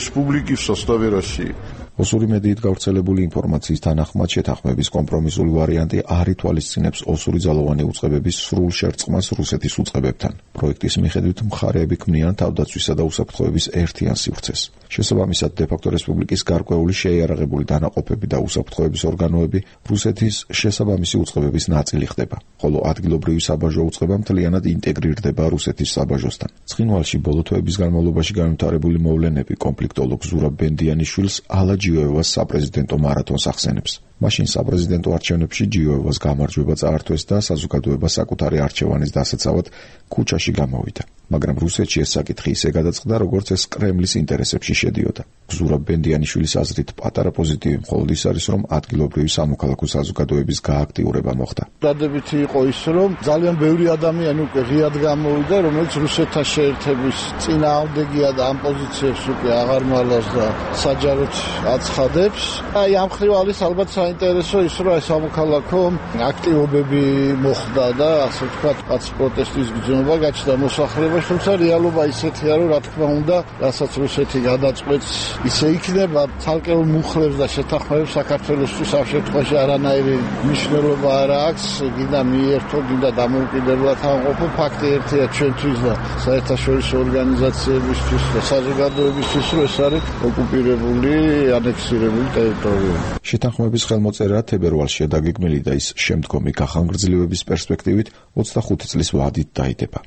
Республики в составе России. ოსური მედიით გავრცელებული ინფორმაციის თანახმად შეთანხმების კომპრომისული ვარიანტი არ ითვალისწინებს ოსური ძალოვანი უწყებების სრულ შერწყმას რუსეთის უწყებებთან. პროექტის მიხედვით მხარეები ქმნიან თავდაცვისა და უსაფრთხოების ერთიან სივრცეს. შესაბამისად, დე-ფაქტო რესპუბლიკის გარკვეული შეიარაღებული დანაყოფები და უსაფრთხოების ორგანოები რუსეთის შესაბამისი უწყებების ნაწილი ხდება, ხოლო ადგილობრივი საბაჟო უწყება მთლიანად ინტეგრირდება რუსეთის საბაჟოსთან. ცხინვალში ბოლო თვეების განმავლობაში განვითარებული მოვლენები კონფლიქტოლოგ ზურაბ ბენდიანიშვილს ალა ჯიოევას საპრეზიდენტო მარათონს ახსენებს. მაშინ საპრეზიდენტო არჩევნებში ჯიოევას გამარჯვება წაართვეს და საზოგადოება საკუთარი არჩევანის დასაცავად ქუჩაში გამოვიდა. მაგრამ რუსეთში ეს საკითხი ისე გადაწყდა, როგორც ეს კრემლის ინტერესებში შედიოდა. ზურაბ ბენდიანიშვილის აზრით, პატარა პოზიტივი მხოლოდ ის არის, რომ ადგილობრივი სამოქალაქო საზოგადოების გააქტიურება მოხდა. დადებითი იყო ის, რომ ძალიან ბევრი ადამიანი უკვე ღიად გამოვიდა, რომელიც რუსეთთან შეერთების წინააღმდეგია და ამ პოზიციებს უკვე აღარ მალავს და საჯაროდ აცხადებს. აი ამ ხრივ არის ალბათ საინტერესო ის, რომ ეს სამოქალაქო აქტივობები მოხდა და ასე ვთქვათ, რაც პროტესტის გრძნობა გაჩნდა მოსახლეობაში, თუმცა რეალობა ისეთია, რომ რა თქმა უნდა, რასაც რუსეთი გადაწყვეტს, ისე იქნება. ცალკეულ მუხლებს და შეთანხმებებს საქართველოსთვის ამ შემთხვევაში არანაირი მნიშვნელობა არ აქვს. გინდა მიერთო, გინდა დამოუკიდებლად ამყოფო, ფაქტი ერთია ჩვენთვის და საერთაშორისო ორგანიზაციებისთვის და საზოგადოებისთვის, რომ ეს არის ოკუპირებული, ანექსირებული ტერიტორია. შეთანხმების ხელმოწერა თებერვალშია დაგეგმილი და ის შემდგომი გახანგრძლივების პერსპექტივით ოცდახუთი წლის ვადით დაიდება.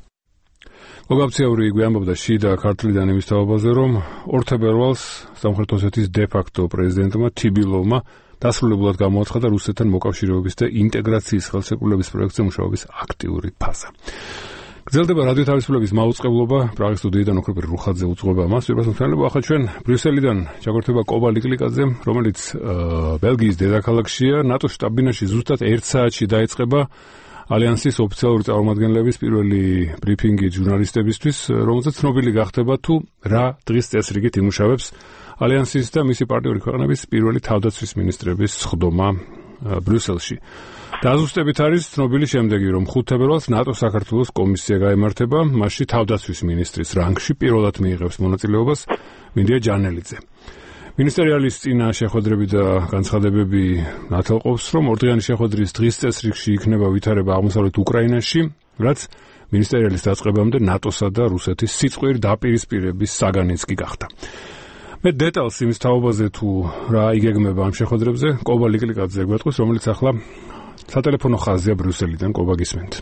გოგაბციაური გვიანბობდა შიდა ქართლიდან იმის თაობაზე, რომ ორ თებერვალს სამხრეთ ოსეთის დე-ფაქტო პრეზიდენტმა თიბილოვმა დასრულებულად გამოაცხადა რუსეთთან მოკავშირეობის და ინტეგრაციის ხელშეკრულების პროექტზე მუშაობის აქტიური ფაზა. გრძელდება რადიო თავისუფლების მაუწყებლობა, პრაღის სტუდიიდან ოქროპირ რუხაძე უძღვება მას. ვირბასმთანელო, ახლა ჩვენ ბრიუსელიდან ჩაგვერთვება კობა ლიკლიკაძე, რომელიც ბელგიის დედაქალაქშია. ნატოს შტაბ-ბინაში ზუსტად ერთ საათში დაიწყება ალიანსის ოფიციალური წარმომადგენლების პირველი ბრიფინგი ჟურნალისტებისთვის, რომელზეც ცნობილი გახდება თუ რა დღის წესრიგით იმუშავებს ალიანსის და მისი პარტნიორი ქვეყნების პირველი თავდაცვის მინისტრების სხდომა ბრიუსელში. დაზუსტებით არის ცნობილი შემდეგი, რომ ხუთ თებერვალს ნატოს საქართველოს კომისია გაემართება, მასში თავდაცვის მინისტრის რანგში პირველად მიიღებს მონაწილეობას მინდია ჯანელიძე. მინისტერიალის წინა შეხვედრები და განცხადებები ნათელყოფს, რომ ორდღიანი შეხვედრის დღის წესრიგში იქნება ვითარება აღმოსავლეთ უკრაინაში, რაც მინისტერიალის დაწყებამდე ნატოსა და რუსეთის სიწყვიერ დაპირისპირების საგანიც კი გახდა. მე დეტალს იმის თაობაზე თუ რა იგეგმება ამ შეხვედრებზე, კობა ლიკლიკაძე გვეტყვის, რომელიც ახლა სატელეფონო ხაზია ბრიუსელიდან. კობა, გისმენთ.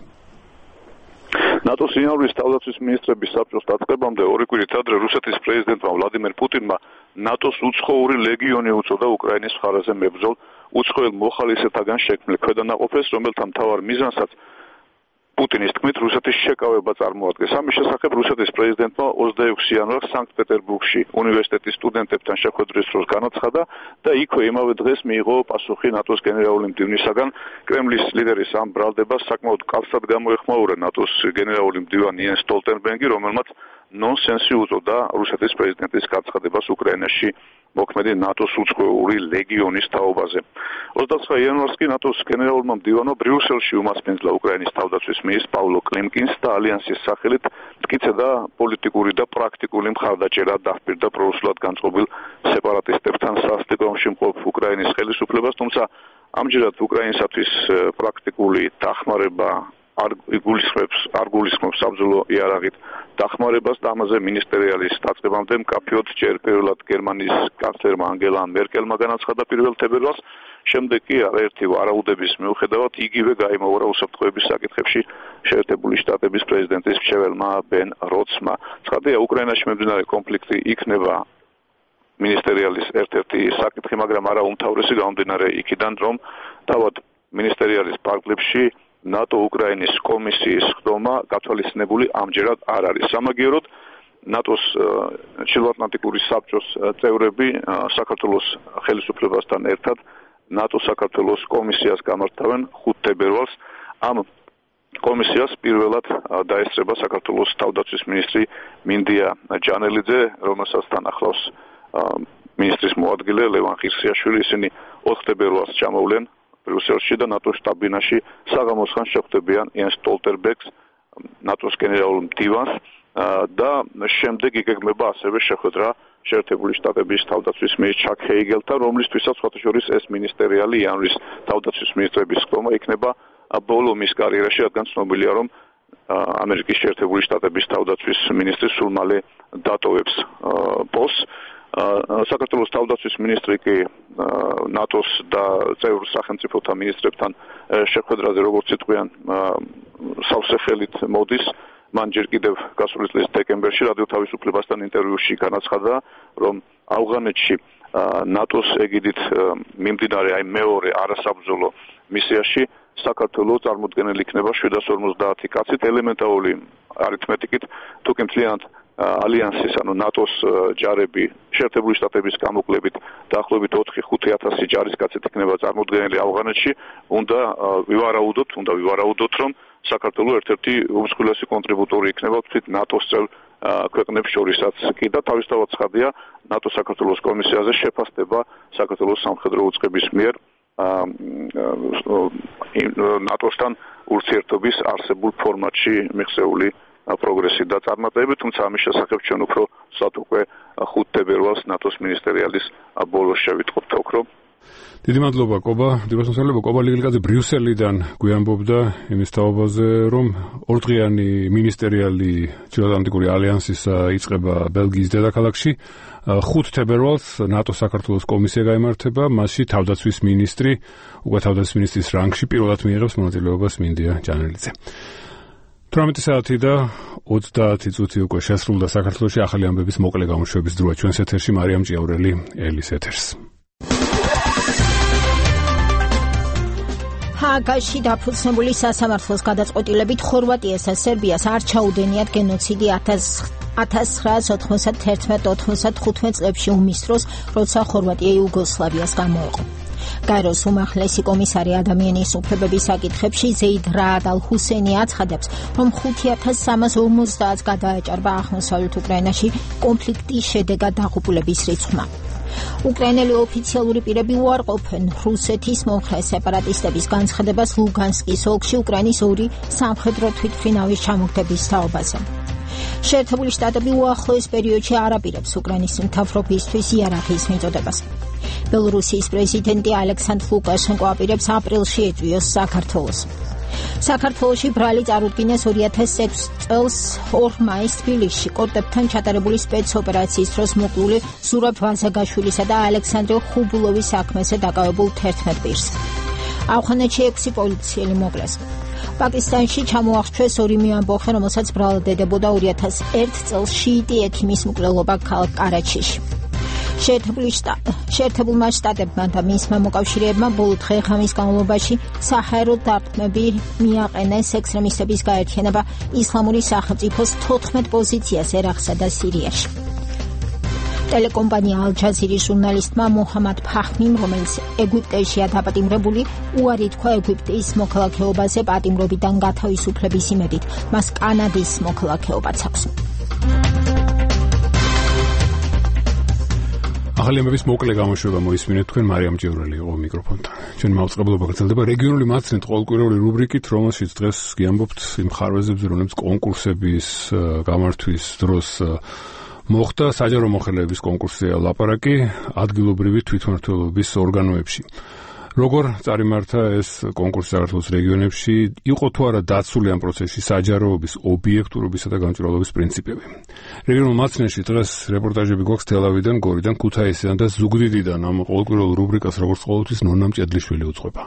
ნატოს ინაურის თავდაცვის მინისტრების საბჭოს დაწყებამდე ორი კვირით ადრე რუსეთის პრეზიდენტმა ვლადიმერ პუტინმა ნატოს უცხოური ლეგიონი უწოდა უკრაინის მხარეზე მებრძოლ უცხოელ მოხალისეთაგან შექმნილ ქვედანაყოფებს, რომელთა მთავარ მიზანსაც პუტინის თქმით რუსეთის შეკავება წარმოადგენს. ამის შესახებ რუსეთის პრეზიდენტმა ოცდაექვსი იანვარს სანქტ-პეტერბურგში უნივერსიტეტის სტუდენტებთან შეხვედრის დროს განაცხადა და იქვე იმავე დღეს მიიღო პასუხი ნატოს გენერალური მდივნისაგან. კრემლის ლიდერის ამ ბრალდებას საკმაოდ კალსად გამოეხმაურა ნატოს გენერალური მდივანი იენს სტოლტენბერგი, რომელმაც ნონსენსი უწოდა რუსეთის პრეზიდენტის გაცხადებას უკრაინაში მოქმედი ნატოს უცხოური ლეგიონის თაობაზე. ოცდაცხრა იანვარს კი ნატოს გენერალურმა მდივანმა ბრიუსელში უმასპინძლა უკრაინის თავდაცვის მინისტრს პავლო კლიმკინს და ალიანსის სახელით მტკიცე და პოლიტიკური და პრაქტიკული მხარდაჭერა დაჰპირდა პრორუსულად განწყობილ სეპარატისტებთან სასტიკრომში მყოფ უკრაინის ხელისუფლებას, თუმცა ამჯერად უკრაინისათვის პრაქტიკული დახმარება არ იგულისხმებს არ გულისხმობს საბრძოლო იარაღით დახმარებას და ამაზე მინისტერიალის დაწყებამდე მკაფიოდ ჯერ პირველად გერმანიის კანცლერმა ანგელა მერკელმა განაცხადა პირველ თებერვალს, შემდეგ კი არაერთი ვარაუდების მიუხედავად იგივე გაიმოურა უსაფრთხოების საკითხებში შეერთებული შტატების პრეზიდენტის მრჩეველმა ბენ როცმა. ცხადია, უკრაინაში მიმდინარე კონფლიქტი იქნება მინისტერიალის ერთ-ერთი საკითხი, მაგრამ არა უმთავრესი, გამომდინარე იქიდან, რომ თავად მინისტერიალის პარკლებში ნატო უკრაინის კომისიის ხდომა გათვალისწინებული ამჯერად არ არის. სამაგიეროდ ნატოს ჩრდილოატლანტიკური საბჭოს წევრები საქართველოს ხელისუფლებასთან ერთად ნატო საქართველოს კომისიას გამართავენ ხუთ თებერვალს. ამ კომისიას პირველად დაესწრება საქართველოს თავდაცვის მინისტრი მინდია ჯანელიძე, რომელსაც თან ახლავს მინისტრის მოადგილე ლევან ხირსიაშვილი. ისინი ოთხ თებერვალს ჩამოვლენ ბრიუსელში და ნატოს შტაბ-ბინაში საღამოს ხანს შეხვდებიან იენს სტოლტენბერგს, ნატოს გენერალურ მდივანს და შემდეგ იგეგმება ასევე შეხვედრა შეერთებული შტატების თავდაცვის მინისტრ ჩაკ ჰეიგელთან, რომლისთვისაც სხვათა შორის ეს მინისტერიალი იანვრის თავდაცვის მინისტრების ხდომა იქნება ბოლო მის კარიერაში, რადგან ცნობილია, რომ ამერიკის შეერთებული შტატების თავდაცვის მინისტრი სულ მალე დატოვებს პოსტს. საქართველოს თავდაცვის მინისტრი კი ნატოს და წევრ სახელმწიფოთა მინისტრებთან შეხვედრაზე, როგორც იტყვიან, სავსე ხელით მოდის. მან ჯერ კიდევ გასული წლის დეკემბერში რადიო თავისუფლებასთან ინტერვიუში განაცხადა, რომ ავღანეთში ნატოს ეგიდით მიმდინარე აი მეორე არასაბრძოლო მისიაში საქართველოს წარმოდგენილი იქნება შვიდას ორმოცდაათი კაცით ელემენტარული არითმეტიკით თუკი მთლიანად ალიანსის ანუ ნატოს ჯარები შეერთებული შტატების გამოკლებით დაახლოებით ოთხი ხუთი ათასი ჯარისკაცით იქნება წარმოდგენილი ავღანეთში უნდა ვივარაუდოთ უნდა ვივარაუდოთ რომ საქართველოს ერთ-ერთი უმსხვილესი კონტრიბუტორი იქნება თვით ნატოს წევრ ქვეყნებს შორისაც კი და თავისთავად ცხადია ნატო საქართველოს კომისიაზე შეფასდება საქართველოს სამხედრო უწყების მიერ ნატოსთან ურთიერთობის არსებულ ფორმატში მიღწეული პროგრესი და წარმატებები, თუმცა ამის შესახებ ჩვენ უფრო სად უკვე ხუთ თებერვალს ნატოს მინისტერიალის ბოლოს შევიტყობთ ოქრო. დიდი მადლობა კობა, დიპლომატიურობა კობა ლიგილკაძე ბრიუსელიდან გვიამბობდა იმის თაობაზე, რომ ორდღიანი მინისტერიალი ჩრდილოატლანტიკური ალიანსის იწყება ბელგიის დედაქალაქში. ხუთ თებერვალს ნატო საქართველოს კომისია გაიმართება, მასში თავდაცვის მინისტრი, უკვე თავდაცვის მინისტრის რანგში პირველად მიიღებს მონაწილეობას მინდია ჯანელიძე. თვრამეტი საათი და ოცდაათი წუთი უკვე შესრულდა საქართველოში ახალი ამბების მოკლე გამოშვების დროა ჩვენს ეთერში მარიამ ჭიაურელი ელის ეთერს. ჰააგაში დაფუძნებული სასამართლოს გადაწყვეტილებით ხორვატიას და სერბიას არ ჩაუდენიათ გენოციდი ათას ცხრაასი ოთხმოცდაათი ოთხმოცდახუთი წლებში ომის დროს, როცა ხორვატია იუგოსლავიას გამოეყო. გაეროს უმაღლესი კომისარი ადამიანის უფლებების საკითხებში ზეიდ რაად ალ-ჰუსეინი აცხადებს, რომ ხუთი ათას სამას ორმოცდაათს გადააჭარბა აღმოსავლეთ უკრაინაში კონფლიქტის შედეგად დაღუპულების რიცხვმა. უკრაინელი ოფიციალური პირები უარყოფენ რუსეთის მომხრე სეპარატისტების განცხადებას ლუგანსკის ოლქში უკრაინის ორი სამხედრო თვითმფრინავის ჩამოგდების თაობაზე. შეერთებული შტატები უახლოეს პერიოდში არ აპირებს უკრაინის მთავრობისთვის იარაღის მიწოდებას. ბელორუსიის პრეზიდენტი ალექსანდრ ლუკაშენკო აპირებს აპრილში ეწვიოს საქართველოს. საქართველოში ბრალი წარუდგინეს ორი ათას ექვსი წელს ორ მაისს თბილისში კორტებთან ჩატარებული სპეცოპერაციის დროს მოკლული ზურაბ ვაზაგაშვილისა და ალექსანდრე ხუბულოვის საქმეზე დაკავებულ თერთმეტ პირს. ავღანეთში ექვსი პოლიციელი მოკლეს. პაკისტანში ჩამოახრჩვეს ორი მეამბოხე, რომელსაც ბრალდებოდა ორი ათას ერთი წელს შიიტი ექიმის მკვლელობა ქალაქ კარაჩიში. შეერთებულმა შტატებმა და მისმა მოკავშირეებმა ბოლო დღე-ღამის განმავლობაში საჰაერო დარტყმები მიაყენეს ექსტრემისტების გაერთიანება ისლამური სახელმწიფოს თოთხმეტ პოზიციას ერაყსა და სირიაში. ტელეკომპანია ალ-ჯაზირის ჟურნალისტმა მოჰამად ფაჰმიმ, რომელიც ეგვიპტეშია დაპატიმრებული, უარი თქვა ეგვიპტის მოქალაქეობაზე პატიმრობიდან გათავისუფლების იმედით. მას კანადის მოქალაქეობაც აქვს. ახალი ამბების მოკლე გამოშვება მოისმინეთ თქვენ მარიამ ჭიაურელი იყო მიკროფონთან. ჩვენი მაუწყებლობა გრძელდება რეგიონული მაცნით ყოველკვირეული რუბრიკით, რომელშიც დღეს გიამბობთ იმ ხარვეზებზე, რომლებიც კონკურსების გამართვის დროს მოხდა. საჯარო მოხელეების კონკურსია ლაპარაკი ადგილობრივი თვითმმართველობის ორგანოებში. როგორ წარიმართა ეს კონკურსი საქართველოს რეგიონებში, იყო თუ არა დაცული ამ პროცესში საჯაროობის, ობიექტურობისა და გამჭვირვალობის პრინციპები. რეგიონულ მაცნებში დღეს რეპორტაჟები გვაქვს თელავიდან, გორიდან, ქუთაისიდან და ზუგდიდიდან. ამ ყოველკვირეულ რუბრიკას როგორც ყოველთვის ნონა მჭედლიშვილი უძღვება.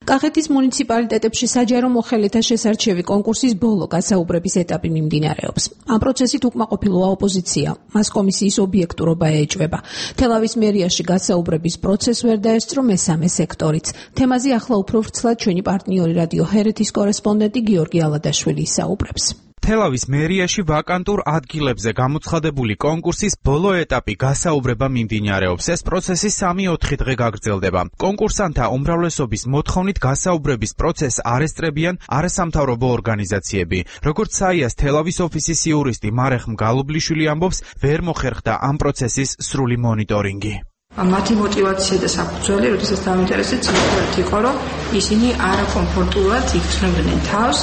კახეთის მუნიციპალიტეტებში საჯარო მოხელეთა შესარჩევი კონკურსის ბოლო გასაუბრების ეტაპი მიმდინარეობს. ამ პროცესით უკმაყოფილოა ოპოზიცია. მას კომისიის ობიექტურობა ეჭვება. თელავის მერიაში გასაუბრების პროცესს ვერ დაესწრო მესამე სექტორიც. თემაზე ახლა უფრო ვრცლად ჩვენი პარტნიორი რადიო ჰერეთის კორესპონდენტი გიორგი ალადაშვილი ისაუბრებს. თელავის მერიაში ვაკანტურ ადგილებზე გამოცხადებული კონკურსის ბოლო ეტაპი გასაუბრება მიმდინარეობს. ეს პროცესი სამი-ოთხი დღე გაგრძელდება. კონკურსანტთა უმრავლესობის მოთხოვნით გასაუბრების პროცესს არ ესწრებიან არასამთავრობო ორგანიზაციები. როგორც საიას თელავის ოფისის იურისტი მარეხ მგალობლიშვილი ამბობს, ვერ მოხერხდა ამ პროცესის სრული მონიტორინგი. მათი мотиваცია და საფუძველი, როდესაც დაინტერესდა ცნობილი იყო, რომ ისინი არაკომფორტულად იქცნობდნენ თავს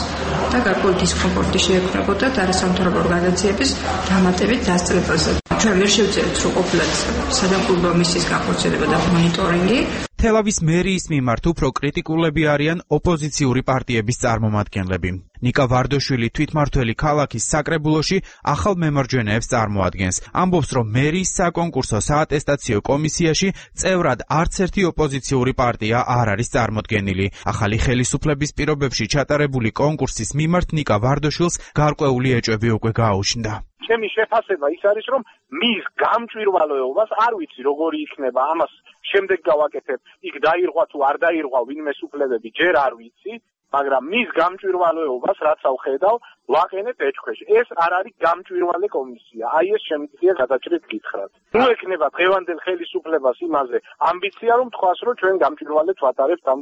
და გარკვეული დისკომფორტი შეექმნებოდა არასამთავრობო ორგანიზაციების დამატებით დასწრებაზე. ჩვენ ვერ შევძლებთ, რომ ყოფილად სადამკვირვებლო მისიის განხორციელება და მონიტორინგი. თელავის მერიის მიმართ უფრო კრიტიკულები არიან ოპოზიციური პარტიების წარმომადგენლები. ნიკა ვარდოშვილი თვითმმართველი ქალაქის საკრებულოში ახალ მემარჯვენეებს წარმოადგენს. ამბობს, რომ მერიის საკონკურსო საატესტაციო კომისიაში წევრად არც ერთი ოპოზიციური პარტია არ არის წარმოდგენილი. ახალი ხელისუფლების პირობებში ჩატარებული კონკურსის მიმართ ნიკა ვარდოშვილს გარკვეული ეჭვები უკვე გააუჩნდა. ჩემი შეფასება ის არის, რომ მის გამჭვირვალეობას არ ვიცი როგორი იქნება, ამას შემდეგ გავაკეთებ. იქ დაირღვა თუ არ დაირღვა ვინმე სუფლებები ჯერ არ ვიცი, მაგრამ მის გამჭვირვალეობას რაც ავხედავ, ვაყენებ ეჭქვეში. ეს არ არის გამჭვირვალე კომისია. აი ეს შემიძლია გადაჭრით გითხრათ. ნუ ექნება დღევანდელ ხელისუფლებას იმაზე ამბიცია, რომ თქვას, რომ ჩვენ გამჭვირვალედ ვატარებთ ამ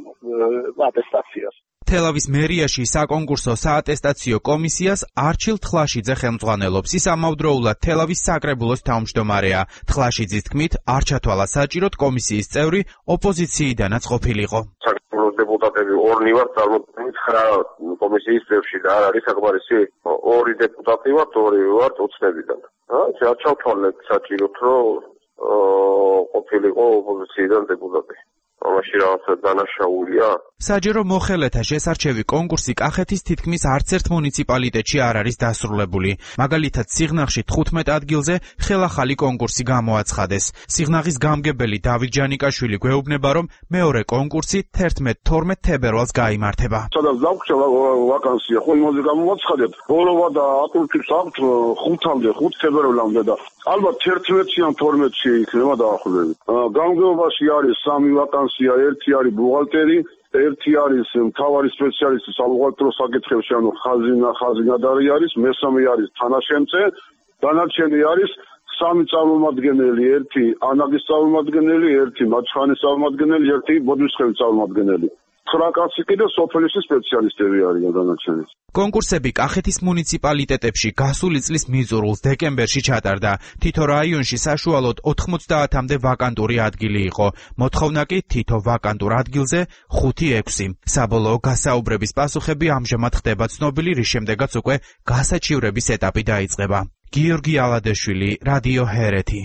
ატესტაციას. თელავის მერიაში საკონკურსო საატესტაციო კომისიას არჩილ თლაშიძე ხელმძღვანელობს. ის ამავდროულად თელავის საკრებულოს თავმჯდომარეა. თლაშიძის თქმით, არ ჩათვალა საჭიროდ კომისიის წევრი ოპოზიციიდანაც ყოფილიყო. საკრებულოს დეპუტატები ორნი ვართ წარმოქმნილი ცხრა კომისიის წევრში და არ არის საკმარისი ორი დეპუტატი ვართ, ორი ვართ ოცნებიდან. არ ჩავთვალეთ საჭიროდ, რომ ყოფილიყო ოპოზიციიდან დეპუტატი. ამაში რაღაცა დანაშაულია. საჯერო მოხელეთა შესარჩევი კონკურსი კახეთის თითქმის არც ერთ მუნიციპალიტეტში არ არის დასრულებული. მაგალითად, სიღნაღში თხუთმეტ ადგილზე ხელახალი კონკურსი გამოაცხადეს. სიღნაღის გამგებელი დავით ჯანიკაშვილი გვეუბნება, რომ მეორე კონკურსი თერთმეტ თორმეტ თებერვალს გაიმართება. სადაც დაგვჭა ვაკანსია, ხო იმაზე გამოაცხადეთ. ბოლოვა და ატურჩის აქვთ ხუთამდე, ხუთ თებერვალამდე და ალბათ თერთმეტში ან თორმეტში იქნება დაახლოებით. გამგებობაში არის სამი ვაკანსია, ერთი არის ბუღალტერი, ერთი არის მთავარი სპეციალისტი საბუღალტერო საკითხებში, ანუ ხაზინა, ხაზინადარი არის, მესამე არის თანაშემწე, დანარჩენი არის სამი წარმომადგენელი, ერთი ანაგის წარმომადგენელი, ერთი მაჩხანის წარმომადგენელი, ერთი ბოდვისხევის წარმომადგენელი. ცხრა კაცი კიდე სოფლის სპეციალისტები არიან დანარჩენი. კონკურსები კახეთის მუნიციპალიტეტებში გასული წლის მიწურულს დეკემბერში ჩატარდა. თითო რაიონში საშუალოდ ოთხმოცდაათამდე ვაკანტური ადგილი იყო. მოთხოვნა კი თითო ვაკანტურ ადგილზე ხუთი ექვსი. საბოლოო გასაუბრების პასუხები ამჟამად ხდება ცნობილი, რის შემდეგაც უკვე გასაჩივრების ეტაპი დაიწყება. გიორგი ალადეშვილი, რადიო ჰერეთი.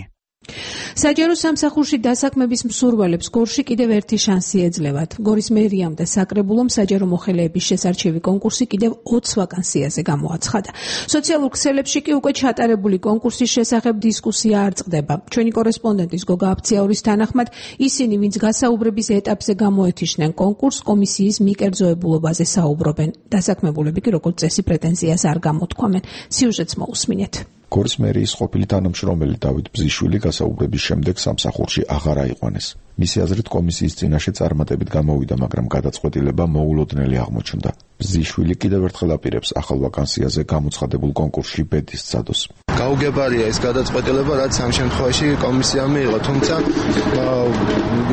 საჯარო სამსახურში დასაქმების მსურველებს გორში კიდევ ერთი შანსი ეძლევათ. გორის მერიამ და საკრებულომ საჯარო მოხელეების შესარჩევი კონკურსი კიდევ ოც ვაკანსიაზე გამოაცხადა. სოციალურ ქსელებში კი უკვე ჩატარებული კონკურსის შესახებ დისკუსია არ წყდება. ჩვენი კორესპონდენტის გოგა აფციაურის თანახმად, ისინი, ვინც გასაუბრების ეტაპზე გამოეთიშნენ კონკურს, კომისიის მიკერძოებულობაზე საუბრობენ. დასაქმებულები კი როგორც წესი პრეტენზიას არ გამოთქვამენ. სიუჟეტს მოусმინეთ. გორის მერიის ყოფილი თანამშრომელი დავით ბზიშვილი გასაუბრების შემდეგ სამსახურში აღარ აიყვანეს. მისი აზრით კომისიის წინაშე წარმატებით გამოვიდა, მაგრამ გადაწყვეტილება მოულოდნელი აღმოჩნდა. ბზიშვილი კიდევ ერთხელ აპირებს ახალ ვაკანსიაზე გამოცხადებულ კონკურსში ბედის წადოს. გაუგებარია ეს გადაწყვეტილება, რაც ამ შემთხვევაში კომისია მიიღო, თუმცა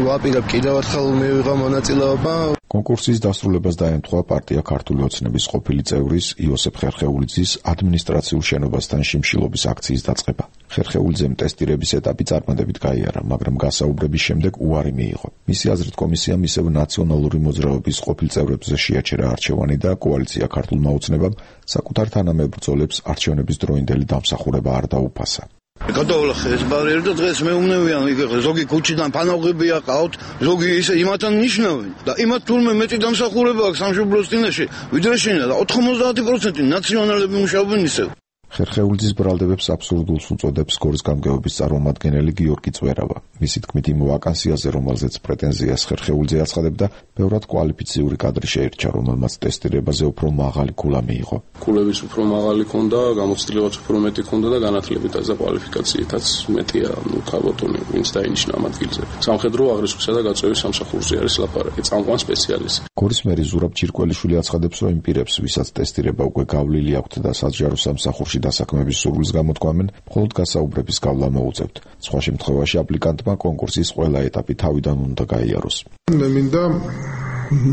ვაპირებ კიდევ ერთხელ მივიღო მონაწილეობა. კონკურსის დასრულებას დაემთხვა პარტია ქართული ოცნების ყოფილი წევრის იოსებ ხერხეულიძის ადმინისტრაციულ შენობასთან შიმშილობის აქციის დაწყება. ხერხეულიძემ ტესტირების ეტაპი წარმატებით გაიარა, მაგრამ გასაუბრების შემდეგ უარი მიიღო. მისი აზრით კომისიამ ისევ ნაციონალური მოძრაობის ყოფილ წევრებზე შეაჩერა არჩევანი და კოალიცია ქართულმა ოცნებამ საკუთარ თანამებრძოლებს არჩევნების დროინდელი დამსახურება არ დაუფასა. გადავლახე ეს ბარიერი და დღეს მეუბნევიან, ზოგი ქუჩიდან ფანაღები აყავთ, ზოგი ისე იმათან ნიშნავენ და იმათ თურმე მეტი დამსახურება აქვს სამშობლოს წინაშე, ვიდრე შენია და ოთხმოცდაათი პროცენტი ნაციონალები მუშაობენ ისევ. ხერხეულიძის ბრალდებებს აბსურდულს უწოდებს გორის გამგეობის წარმომადგენელი გიორგი წვერავა. მისი თქმით, იმ ვაკანსიაზე, რომელზეც პრეტენზიას ხერხეულიძე აცხადებდა, ბევრად კვალიფიციური კადრი შეირჩა, რომელმაც ტესტირებაზე უფრო მაღალი ქულა მიიღო. ქულების უფრო მაღალი ქონდა, გამოცდილებაც უფრო მეტი ქონდა და განათლებითაც და კვალიფიკაციითაც მეტია, ნუ ქალბატონი, ვინც დაინიშნა ამ ადგილზე. სამხედრო აღრიცხვისა და გაწევის სამსახურზე არის ლაპარაკი, წამყვან სპეციალისტი. გორის მერი ზურაბ ჩირკველიშვილი აცხადებს, რომ იმ პირებს, ვისაც ტესტირება უკვე გავლილი აქვთ და საჯარო სამსახურში დასაქმების სურვილს გამოთქვამენ, მხოლოდ გასაუბრების გავლა მოუწევთ. სხვა შემთხვევაში აპლიკანტმა კონკურსის ყველა ეტაპი თავიდან უნდა გაიაროს. მე მინდა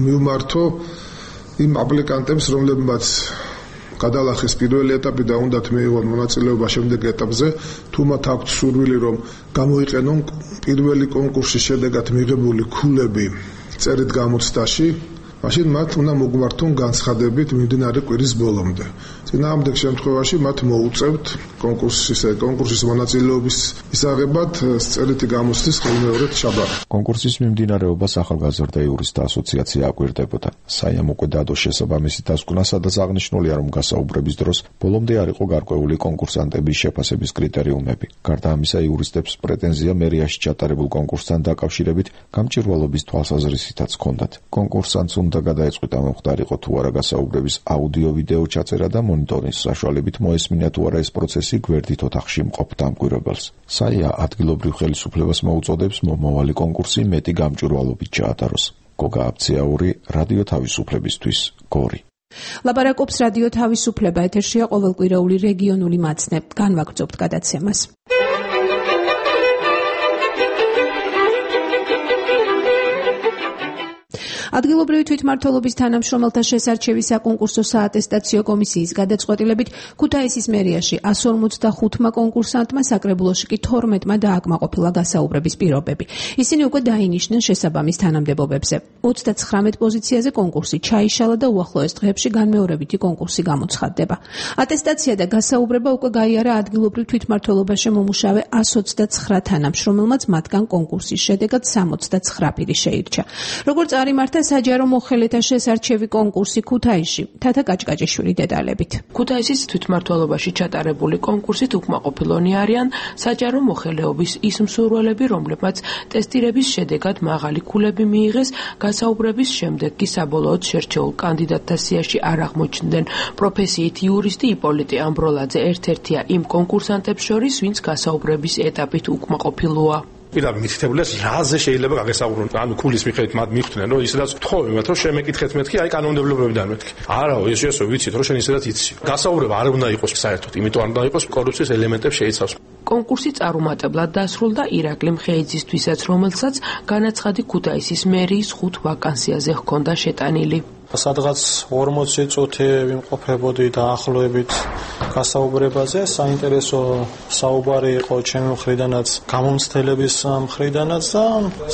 მივმართო იმ აპლიკანტებს, რომლებმაც გადალახეს პირველი ეტაპი და უნდათ მიიღონ მონაწილეობა შემდეგ ეტაპზე, თუ მათ აქვთ სურვილი, რომ გამოიყენონ პირველი კონკურსის შედეგად მიღებული ქულები წერით გამოცდაში, მაშინ მათ უნდა მოგმართონ განცხადებით მიმდინარე კვირის ბოლომდე. წინააღმდეგ შემთხვევაში მათ მოუწევთ კონკურსის კონკურსის მონაწილეობის ისაღებად წერითი გამოსვლის ხელმეორედ შაბათ. კონკურსის მიმდინარეობას ახალგაზრდა იურისტთა ასოციაცია აკვირდებოდა. საიამ უკვე დადო შესაბამისი დასკვნა, სადაც აღნიშნულია, რომ გასაუბრების დროს ბოლომდე არ იყო გარკვეული კონკურსანტების შეფასების კრიტერიუმები. გარდა ამისა, იურისტებს პრეტენზია მერიაში ჩატარებულ კონკურსთან დაკავშირებით გამჭვირვალობის თვალსაზრისითაც ჰქონდათ. კონკურსანტს უნდა გადაეწყვიტა მომხდარიყო თუ არა გასაუბრების აუდიო-ვიდეო ჩაწერა და მონიტორინგის საშუალებით მოესმინა თუ არა ეს პროცესი გვერდით ოთახში მყოფ დამკვირვებელს. საია ადგილობრივ ხელისუფლებას მოუწოდებს მომავალი კონკურსი მეტი გამჭვირვალობით ჩაატაროს. გოგა აბციაური, რადიო თავისუფლებისთვის, გორი. ლაპარაკობს რადიო თავისუფლება, ეთერშია ყოველკვირეული რეგიონული მაცნე. განვაგრძობთ გადაცემას. ადგილობრივი თვითმმართველობის თანამშრომელთა შესარჩევის საკონკურსო საატესტაციო კომისიის გადაწყვეტილებით ქუთაისის მერიაში εκατს ორმოცდახუთმა კონკურსანტმა საკრებულოში კი თორმეტმა დააკმაყოფილა გასაუბრების პირობები. ისინი უკვე დაინიშნენ შესაბამის თანამდებობებზე. ოცდაცხრამეტ პოზიციაზე კონკურსი ჩაიშალა და უახლოეს დღეებში განმეორებითი კონკურსი გამოცხადდება. ატესტაცია და გასაუბრება უკვე გაიარა ადგილობრივ თვითმმართველობაში მომუშავე εκατს ოცდაცხრა თანამშრომელმაც, მათგან კონკურსის შედეგად სამოცდაცხრა პირი შეირჩა. როგორც წარიმართა საჯარო მოხელეთა შესარჩევი კონკურსი ქუთაისში. თათა კაჭკაჭიშვილი დეტალებით. ქუთაისის თვითმმართველობაში ჩატარებული კონკურსით უკმაყოფილონი არიან საჯარო მოხელეობის ის მსურველები, რომლებმაც ტესტირების შედეგად მაღალი ქულები მიიღეს, გასაუბრების შემდეგ კი საბოლოოდ შერჩეულ კანდიდატთა სიაში არ აღმოჩნდნენ. პროფესიით იურისტი იპოლიტე ამბროლაძე ერთ-ერთია იმ კონკურსანტებს შორის, ვინც გასაუბრების ეტაპით უკმაყოფილოა. პირდაპირ მითითებულია რაზე შეიძლება გაგესაუბრონ. ანუ ქულის მიხედვით მათ მიხვდნენ, რომ ისედაც ვთხოვე მათ, რომ შემეკითხეთ მეთქი, აი კანონმდებლობებიდან მეთქი. არაო, ეს შესო ვიცით, რომ შენ ისედაც იცი. გასაუბრება არ უნდა იყოს საერთოდ, იმიტომ არ უნდა იყოს კორუფციის ელემენტებს შეიცავს. კონკურსი წარუმატებლად დასრულდა ირაკლი მხეიძისთვისაც, რომელსაც განაცხადი ქუთაისის მერიის ხუთ ვაკანსიაზე ჰქონდა შეტანილი. სადღაც ორმოცი წუთი ვიმყოფებოდი დაახლოებით გასაუბრებაზე. საინტერესო საუბარი იყო ჩემი მხრიდანაც, გამომცდელების მხრიდანაც და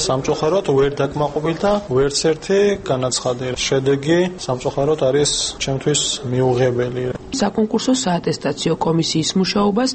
სამწუხაროდ ვერ დაკმაყოფილდა ვერც ერთი განაცხადი. შედეგი სამწუხაროდ არის ჩემთვის მიუღებელი. საკონკურსო საატესტაციო კომისიის მუშაობას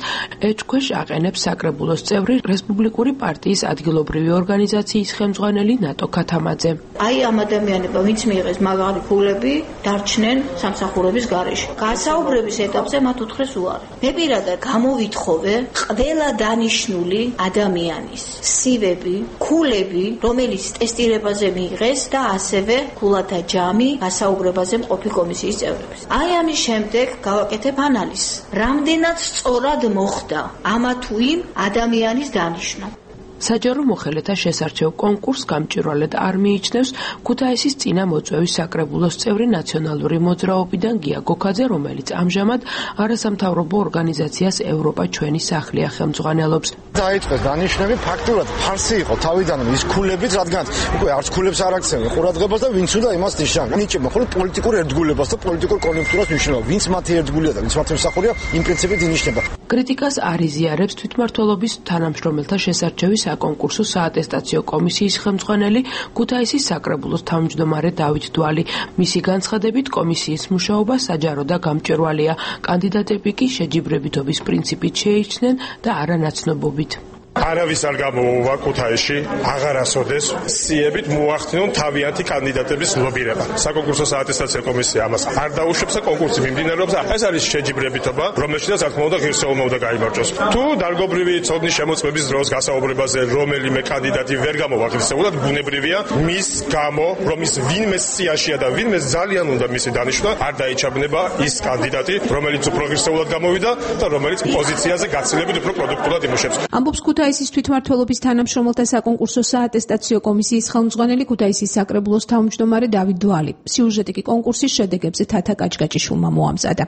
ეჭქვეშ აყენებს საკრებულოს წევრი რესპუბლიკური პარტიის ადგილობრივი ორგანიზაციის ხელმძღვანელი ნატო ქათამაძე. აი ამ ადამიანებმა ვინც მიიღეს მაგარი ქულები დარჩნენ სამსახურების გარეშე. გასაუბრების ეტაპზე მათ უთხრეს უარი. მე პირადად გამოვითხოვე ყველა დანიშნული ადამიანის სივები, ქულები, რომელიც ტესტირებაზე მიიღეს და ასევე ქულათა ჯამი გასაუბრებაზე მყოფი კომისიის წევრებს. აი ამის შემდეგ გავაკეთებ ანალიზს. რამდენად სწორად მოხდა ამა თუ იმ ადამიანის დანიშნა. საჯარო მოხელეთა შესარჩევ კონკურსს გამჭვირვალედ არ მიიჩნევს ქუთაისის წინა მოწვევის საკრებულოს წევრი ნაციონალური მოძრაობიდან გია გოქაძე, რომელიც ამჟამად არასამთავრობო ორგანიზაციას ევროპა ჩვენი სახლია ხელმძღვანელობს. დაიწყეს დანიშნები ფაქტურად ფარსი იყო თავიდანვე ის ქულებიც, რადგან უკვე არც ქულებს არ აქცევენ ყურადღებას და ვინც უნდა იმას ნიშნავენ. ნიჭება მხოლოდ პოლიტიკურ ერთგულებას და პოლიტიკურ კონიუნქტურას ნიშნავს. ვინც მათი ერთგულია და ვინც მათი მსახურია, იმ პრინციპით ინიშნება. კრიტიკას არ იზიარებს თვითმმართველობის თანამშრომელთა შესარჩევის საკონკურსო საატესტაციო კომისიის ხელმძღვანელი ქუთაისის საკრებულოს თავმჯდომარე დავით დვალი. მისი განცხადებით კომისიის მუშაობა საჯარო და გამჭვირვალეა. კანდიდატები კი შეჯიბრებითობის პრინციპით შეიჩნენ და არანაცნობობით. არავის არ გამოუვა ქუთაისში აღარასოდეს სიებით მოახდინონ თავიანთი კანდიდატების ლობირება. საკონკურსო საატესტაციო კომისია ამას არ დაუშვებს და კონკურსი მიმდინარეობს. ეს არის შეჯიბრებითობა, რომელშიც რა თქმა უნდა ღირსეულმა უნდა გაიმარჯვოს. თუ დარგობრივი ცოდნის შემოწმების დროს გასაუბრებაზე რომელიმე კანდიდატი ვერ გამოვა ღირსეულად, ბუნებრივია მის გამო, რომ ის ვინმე სიაშია და ვინმე ძალიან უნდა მისი დანიშვნა, არ დაიჩაბნება ის კანდიდატი, რომელიც უფრო ღირსეულად გამოვიდა და რომელიც პოზიციაზე გაცილებით უფრო პროდუქტულად იმუშავებს. ამბობს ქუთაისის თვითმმართველობის თანამშრომელთა საკონკურსო საატესტაციო კომისიის ხელმძღვანელი ქუთაისის საკრებულოს თავმჯდომარე დავით დვალი. სიუჟეტი კი კონკურსის შედეგებზე თათა კაჭკაჭიშვილმა მოამზადა.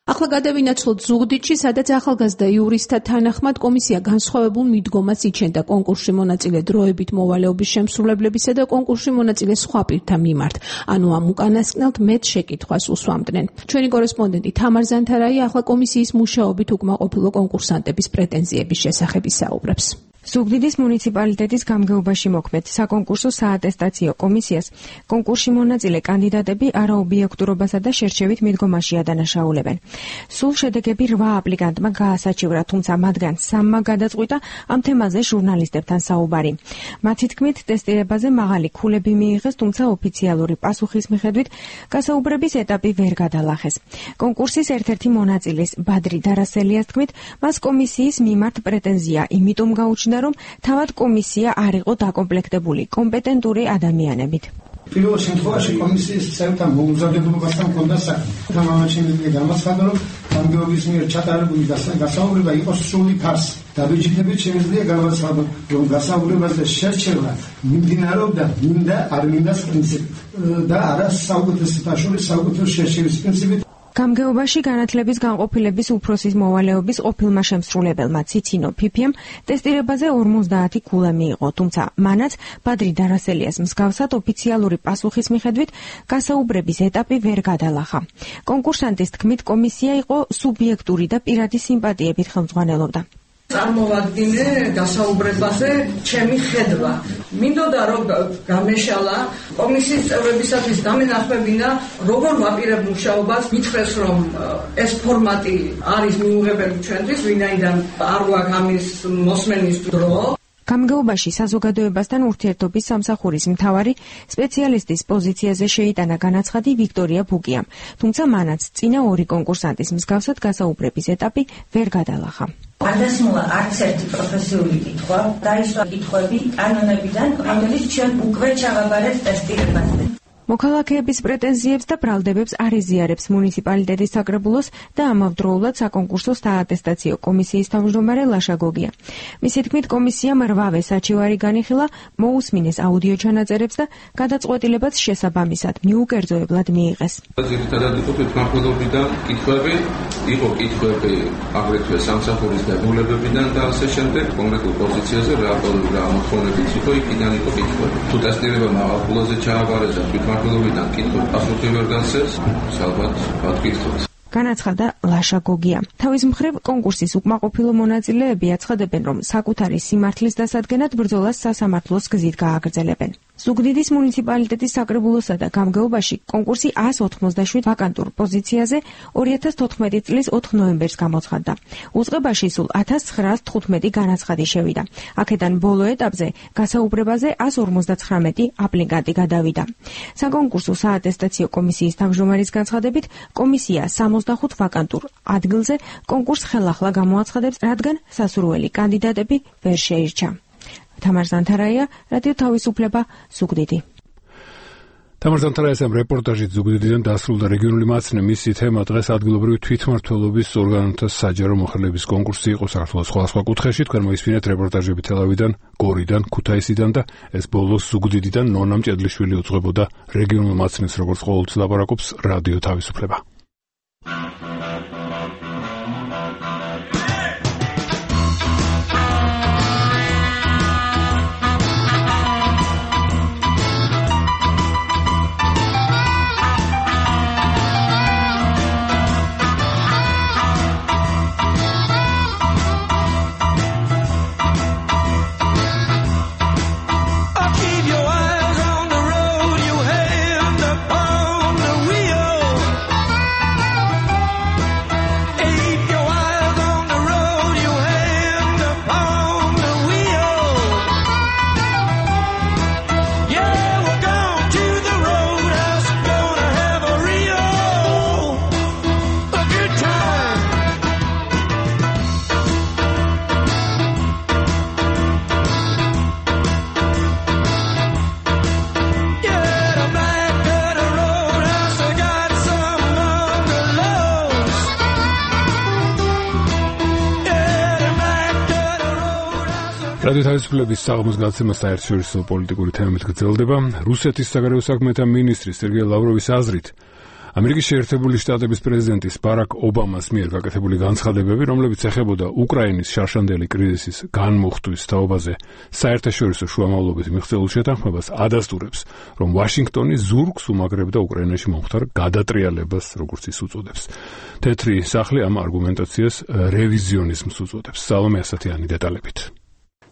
ახლა გადავინაცვლოთ ზუგდიდში, სადაც ახალგაზრდა იურისტთა თანახმად კომისია განსხვავებულ მიდგომას იჩენდა კონკურსში მონაწილე დროებით მოვალეობის შემსრულებლებისა და კონკურსში მონაწილე სხვა პირთა მიმართ. ანუ ამ უკანასკნელთ მეტ შეკითხვას უსვამდნენ. ჩვენი კორესპონდენტი თამარ ზანთარაია ახლა კომისიის მუშაობით უკმაყოფილო კონკურსანტების პრეტენზიების შესახებ ისაუბრებს. ზუგდიდის მუნიციპალიტეტის გამგეობაში მოქმედ საკონკურსო საატესტაციო კომისიას კონკურსში მონაწილე კანდიდატები არაობიექტურობასა და შერჩევით მიდგომაში ადანაშაულებენ. სულ შედეგები რვა აპლიკანტმა გაასაჩივრა, თუმცა მათგან სამმა გადაწყვიტა ამ თემაზე ჟურნალისტებთან საუბარი. მათი თქმით, ტესტირებაზე მაღალი ქულები მიიღეს, თუმცა ოფიციალური პასუხის მიხედვით გასაუბრების ეტაპი ვერ გადალახეს. კონკურსის ერთ-ერთი მონაწილის ბადრი დარასელიას თქმით, მას კომისიის მიმართ პრეტენზია იმიტომ გაუჩნდა, რომ თავად კომისია არ იყო დაკომპლექტებული კომპეტენტური ადამიანებით. პირველ შემთხვევაში კომისიის წევრთა მოუზადებულობასთან ჰქონდა საქმე. თამამაჩემი გამაცხადა, რომ გამგეობის მიერ ჩატარებული გასაუბრება იყო სრული ფარსი. დაბეჭდებით შემიძლია გამაცხადო, რომ გასაუბრებაზე შერჩევა მიმდინარეობდა მინდა არ მინდას პრინციპით და არა საუკეთესოთა შორის საუკეთესო შერჩევის პრინციპით. გამგეობაში განათლების განყოფილების უფროსის მოვალეობის ყოფილმა შემსრულებელმა ციცინო ფიფიემ ტესტირებაზე ორმოცდაათი ქულა მიიღო, თუმცა მანაც ბადრი დარასელიას მსგავსად ოფიციალური პასუხის მიხედვით გასაუბრების ეტაპი ვერ გადალახა. კონკურსანტის თქმით, კომისია იყო სუბიექტური და პირადი სიმპათიებით ხელმძღვანელობდა. წარმოვადგინე გასაუბრებაზე ჩემი ხედვა. მინდოდა რომ გამეშალა კომისიის წევრებისათვის დამენახმებინა როგორ ვაპირებ მუშაობას, მითხრეს რომ ეს ფორმატი არის მიუღებელი ჩვენთვის, ვინაიდან არ გვაქვს ამის მოსმენის დრო. გამგეობაში საზოგადოებასთან ურთიერთობის სამსახურის მთავარი სპეციალისტის პოზიციაზე შეიტანა განაცხადი ვიქტორია ბუკიამ, თუმცა მანაც წინა ორი კონკურსანტის მსგავსად გასაუბრების ეტაპი ვერ გადალახა. არ დასმულა არც ერთი პროფესიული კითხვა, დაისვა კითხვები კანონებიდან, რომელიც ჩვენ უკვე ჩავაბარეთ ტესტირებაზე. მოქალაქეების პრეტენზიებს და ბრალდებებს არ იზიარებს მუნიციპალიტეტის საკრებულოს და ამავდროულად საკონკურსო საატესტაციო კომისიის თავმჯდომარე ლაშა გოგია. მისი თქმით, კომისიამ რვავე საჩივარი განიხილა, მოусმინეს აუდიო ჩანაწერებს და გადაწყვეტილებაც შესაბამისად მიუკერძოებლად მიიღეს. ძირითადად იყო თვითმმართველობიდან კითხვები, იყო კითხვები აგრეთვე სამსახურის დებულებებიდან და ასე შემდეგ, კონკრეტულ პოზიციაზე რა რა მოთხოვნებიც იყო, იქიდან იყო კითხვები. თუ ტესტირება მაღალ ქულაზე ჩააბარეს და თვითმმართველობიდან კითხვები პასუხი ვერ გასცეს, ალბათ ვატკითხოთ. განაცხადა ლაშა გოგია. თავის მხრივ კონკურსის უკმაყოფილო მონაწილეები აცხადებენ, რომ საკუთარი სიმართლის დასადგენად ბრძოლას სასამართლოს გზით გააგრძელებენ. ზუგდიდის მუნიციპალიტეტის საკრებულოსა და გამგეობაში კონკურსი ას ოთხმოცდაშვიდ ვაკანტურ პოზიციაზე ორი ათას თოთხმეტი წლის ოთხ ნოემბერს გამოცხადდა. უწყებაში სულ ათას ცხრაას თხუთმეტი განაცხადი შევიდა. აქედან ბოლო ეტაპზე გასაუბრებაზე ას ორმოცდაცხრამეტი აპლიკანტი გადავიდა. საკონკურსო საატესტაციო კომისიის თავმჯდომარის განცხადებით, კომისია სამოცდახუთ ვაკანტურ ადგილზე კონკურს ხელახლა გამოაცხადებს, რადგან სასურველი კანდიდატები ვერ შეირჩა. თამარ ზანთარაია, რადიო თავისუფლება, ზუგდიდი. თამარ ზანთარაიას ამ რეპორტაჟით ზუგდიდიდან დასრულდა რეგიონული მაცნე. მისი თემა დღეს ადგილობრივი თვითმმართველობის ორგანოთა საჯარო მოხელების კონკურსი იყო საქართველოს სხვადასხვა კუთხეში. თქვენ მოისმინეთ რეპორტაჟები თელავიდან, გორიდან, ქუთაისიდან და ეს ბოლოს ზუგდიდიდან ნონა მჭედლიშვილი უძღვებოდა რეგიონულ მაცნეს, როგორც ყოველთვის ლაპარაკობს რადიო თავისუფლება. რადიო თავისუფლების საღამოს გადაცემა საერთაშორისო პოლიტიკური თემებით გრძელდება. რუსეთის საგარეო საქმეთა მინისტრის სერგეი ლავროვის აზრით, ამერიკის შეერთებული შტატების პრეზიდენტის ბარაკ ობამას მიერ გაკეთებული განცხადებები, რომლებიც ეხებოდა უკრაინის შარშანდელი კრიზისის განმუხტვის თაობაზე საერთაშორისო შუამავლობით მიღწეულ შეთანხმებას ადასტურებს, რომ ვაშინგტონი ზურგს უმაგრებდა უკრაინაში მომხდარ გადატრიალებას, როგორც ის უწოდებს. თეთრი სახლი ამ არგუმენტაციას რევიზიონიზმს უწოდებს. სალომე ასათიანი დეტალებით.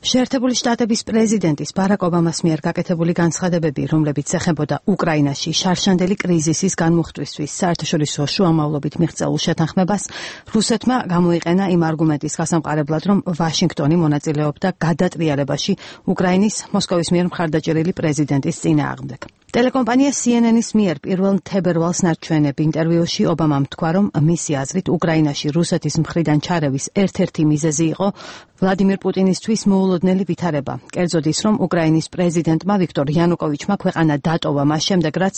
შეერთებული შტატების პრეზიდენტის ბარაკ ობამას მიერ გაკეთებული განცხადებები, რომლებიც ეხებოდა უკრაინაში შარშანდელი კრიზისის განმუხტვისთვის საერთაშორისო შუამავლობით მიღწეულ შეთანხმებას, რუსეთმა გამოიყენა იმ არგუმენტის გასამყარებლად, რომ ვაშინგტონი მონაწილეობდა გადატრიალებაში უკრაინის მოსკოვის მიერ მხარდაჭერილი პრეზიდენტის წინააღმდეგ. ტელეკომპანია C N N-ის მიერ პირველ თებერვალს ნარჩვენებ ინტერვიუში ობამამ თქვა, რომ მისი აზრით უკრაინაში რუსეთის მხრიდან ჩარევის ერთ-ერთი მიზეზი იყო ვლადიმირ პუტინისთვის მოულოდნელი ვითარება. კერძოდ ის, რომ უკრაინის პრეზიდენტმა ვიქტორ იანუკოვიჩმა ქვეყანა დატოვა მას შემდეგ, რაც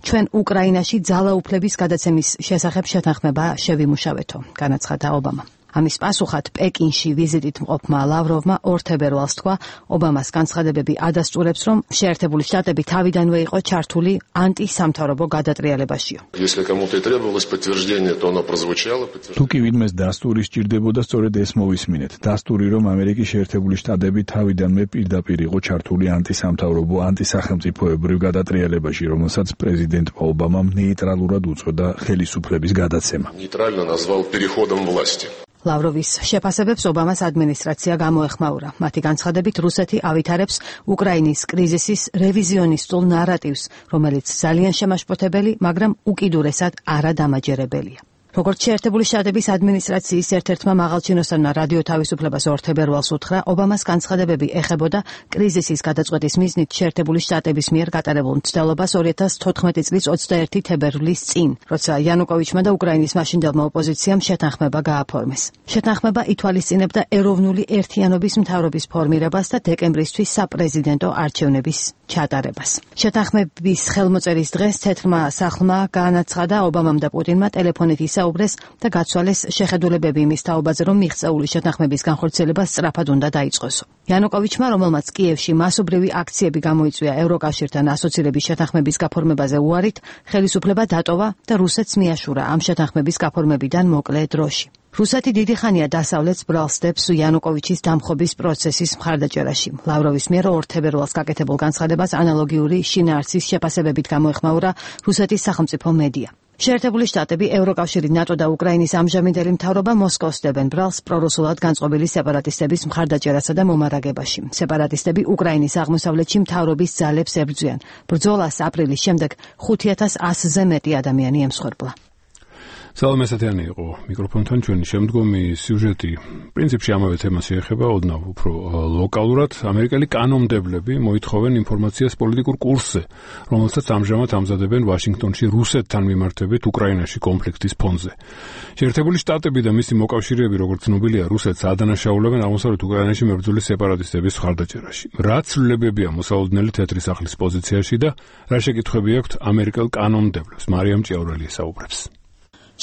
ჩვენ უკრაინაში ძალაუფლების გადაცემის შესახებ შეთანხმება შევიმუშავეთო, განაცხადა ობამა. ამის პასუხად პეკინში ვიზიტით მყოფმა ლავროვმა ორ თებერვალს თქვა, ობამას განცხადებები ადასტურებს, რომ შეერთებული შტატები თავიდანვე იყო ჩართული ანტისამთავრობო გადატრიალებაშიო. თუ კი ვინმეს დასტური სჭირდებოდა, სწორედ ეს მოვისმინეთ. დასტური, რომ ამერიკის შეერთებული შტატები თავიდანვე პირდაპირ იყო ჩართული ანტისამთავრობო, ანტისახელმწიფოებრივ გადატრიალებაში, რომელსაც პრეზიდენტ ობამამ ნეიტრალურად უწოდა ხელისუფლების გადაცემა. Нейтрально назвал переходом власти. ლავროვის შეფასებებს ობამას ადმინისტრაცია გამოეხმაურა. მათი განცხადებით, რუსეთი ავითარებს უკრაინის კრიზისის რევიზიონისტულ ნარატივს, რომელიც ძალიან შემაშფოთებელი, მაგრამ უკიდურესად არადამაჯერებელია. როგორც შეერთებული შტატების ადმინისტრაციის ერთ-ერთმა მაღალჩინოსანმა რადიო თავისუფლებას ორ თებერვალს უთხრა, ობამას განცხადებები ეხებოდა კრიზისის გადაწყვეტის მიზნით შეერთებული შტატების მიერ გატარებულ მცდელობას ორი ათას თოთხმეტი წლის ოცდაერთი თებერვლის წინ, როცა იანუკოვიჩმა და უკრაინის მაშინდელმა ოპოზიციამ შეთანხმება გააფორმეს. შეთანხმება ითვალისწინებდა ეროვნული ერთიანობის მთავრობის ფორმირებას და დეკემბრისთვის საპრეზიდენტო არჩევნების ჩატარებას. შეთანხმების ხელმოწერის დღეს თეთრმა სახლმა განაცხადა ობამამ და პუტინმა ტელეფონით ისაუბრეს და გაცვალეს შეხედულებები იმის თაობაზე, რომ მიღწეული შეთანხმების განხორციელება სწრაფად უნდა დაიწყოსო. იანუკოვიჩმა, რომელმაც კიევში მასობრივი აქციები გამოიწვია ევროკავშირთან ასოცირების შეთანხმების გაფორმებაზე უარით, ხელისუფლება დატოვა და რუსეთს მიაშურა ამ შეთანხმების გაფორმებიდან მოკლე დროში. რუსეთი დიდი ხანია დასავლეთს ბრალს დებს იანუკოვიჩის დამხობის პროცესის მხარდაჭერაში. ლავროვის მიერ ორ თებერვალს გაკეთებულ განცხადებას ანალოგიური შინაარსის შეფასებებით გამოეხმაურა რუსეთის სახელმწიფო მედია. შეერთებული შტატები, ევროკავშირი, ნატო და უკრაინის ამჟამინდელი მთავრობა მოსკოვს დებენ ბრალს პრორუსულად განწყობილი სეპარატისტების მხარდაჭერასა და მომარაგებაში. სეპარატისტები უკრაინის აღმოსავლეთში მთავრობის ძალებს ებრძვიან. ბრძოლას აპრილის შემდეგ ხუთი ათას ასზე მეტი ადამიანი ემსხვერპლა. სალამე სათიანი იყო მიკროფონთან ჩვენი შემდგომი სიუჟეტი პრინციპში ამავე თემას შეეხება ოდნავ უფრო ლოკალურად. ამერიკელი კანონმდებლები მოითხოვენ ინფორმაციას პოლიტიკურ კურსზე, რომელსაც ამჟამად ამზადებენ ვაშინგტონში რუსეთთან მიმართებით უკრაინაში კონფლიქტის ფონზე. შეერთებული შტატები და მისი მოკავშირეები, როგორც ცნობილია, რუსეთს ადანაშაულებენ აღმოსავლეთ უკრაინაში მებრძოლი სეპარატისტების მხარდაჭერაში. რა ცვლილებებია მოსალოდნელი თეთრი სახლის პოზიციაში და რა შეკითხვები აქვთ ამერიკელ კანონმდებლებს? მარიამ ჭიაურელი საუბრობს.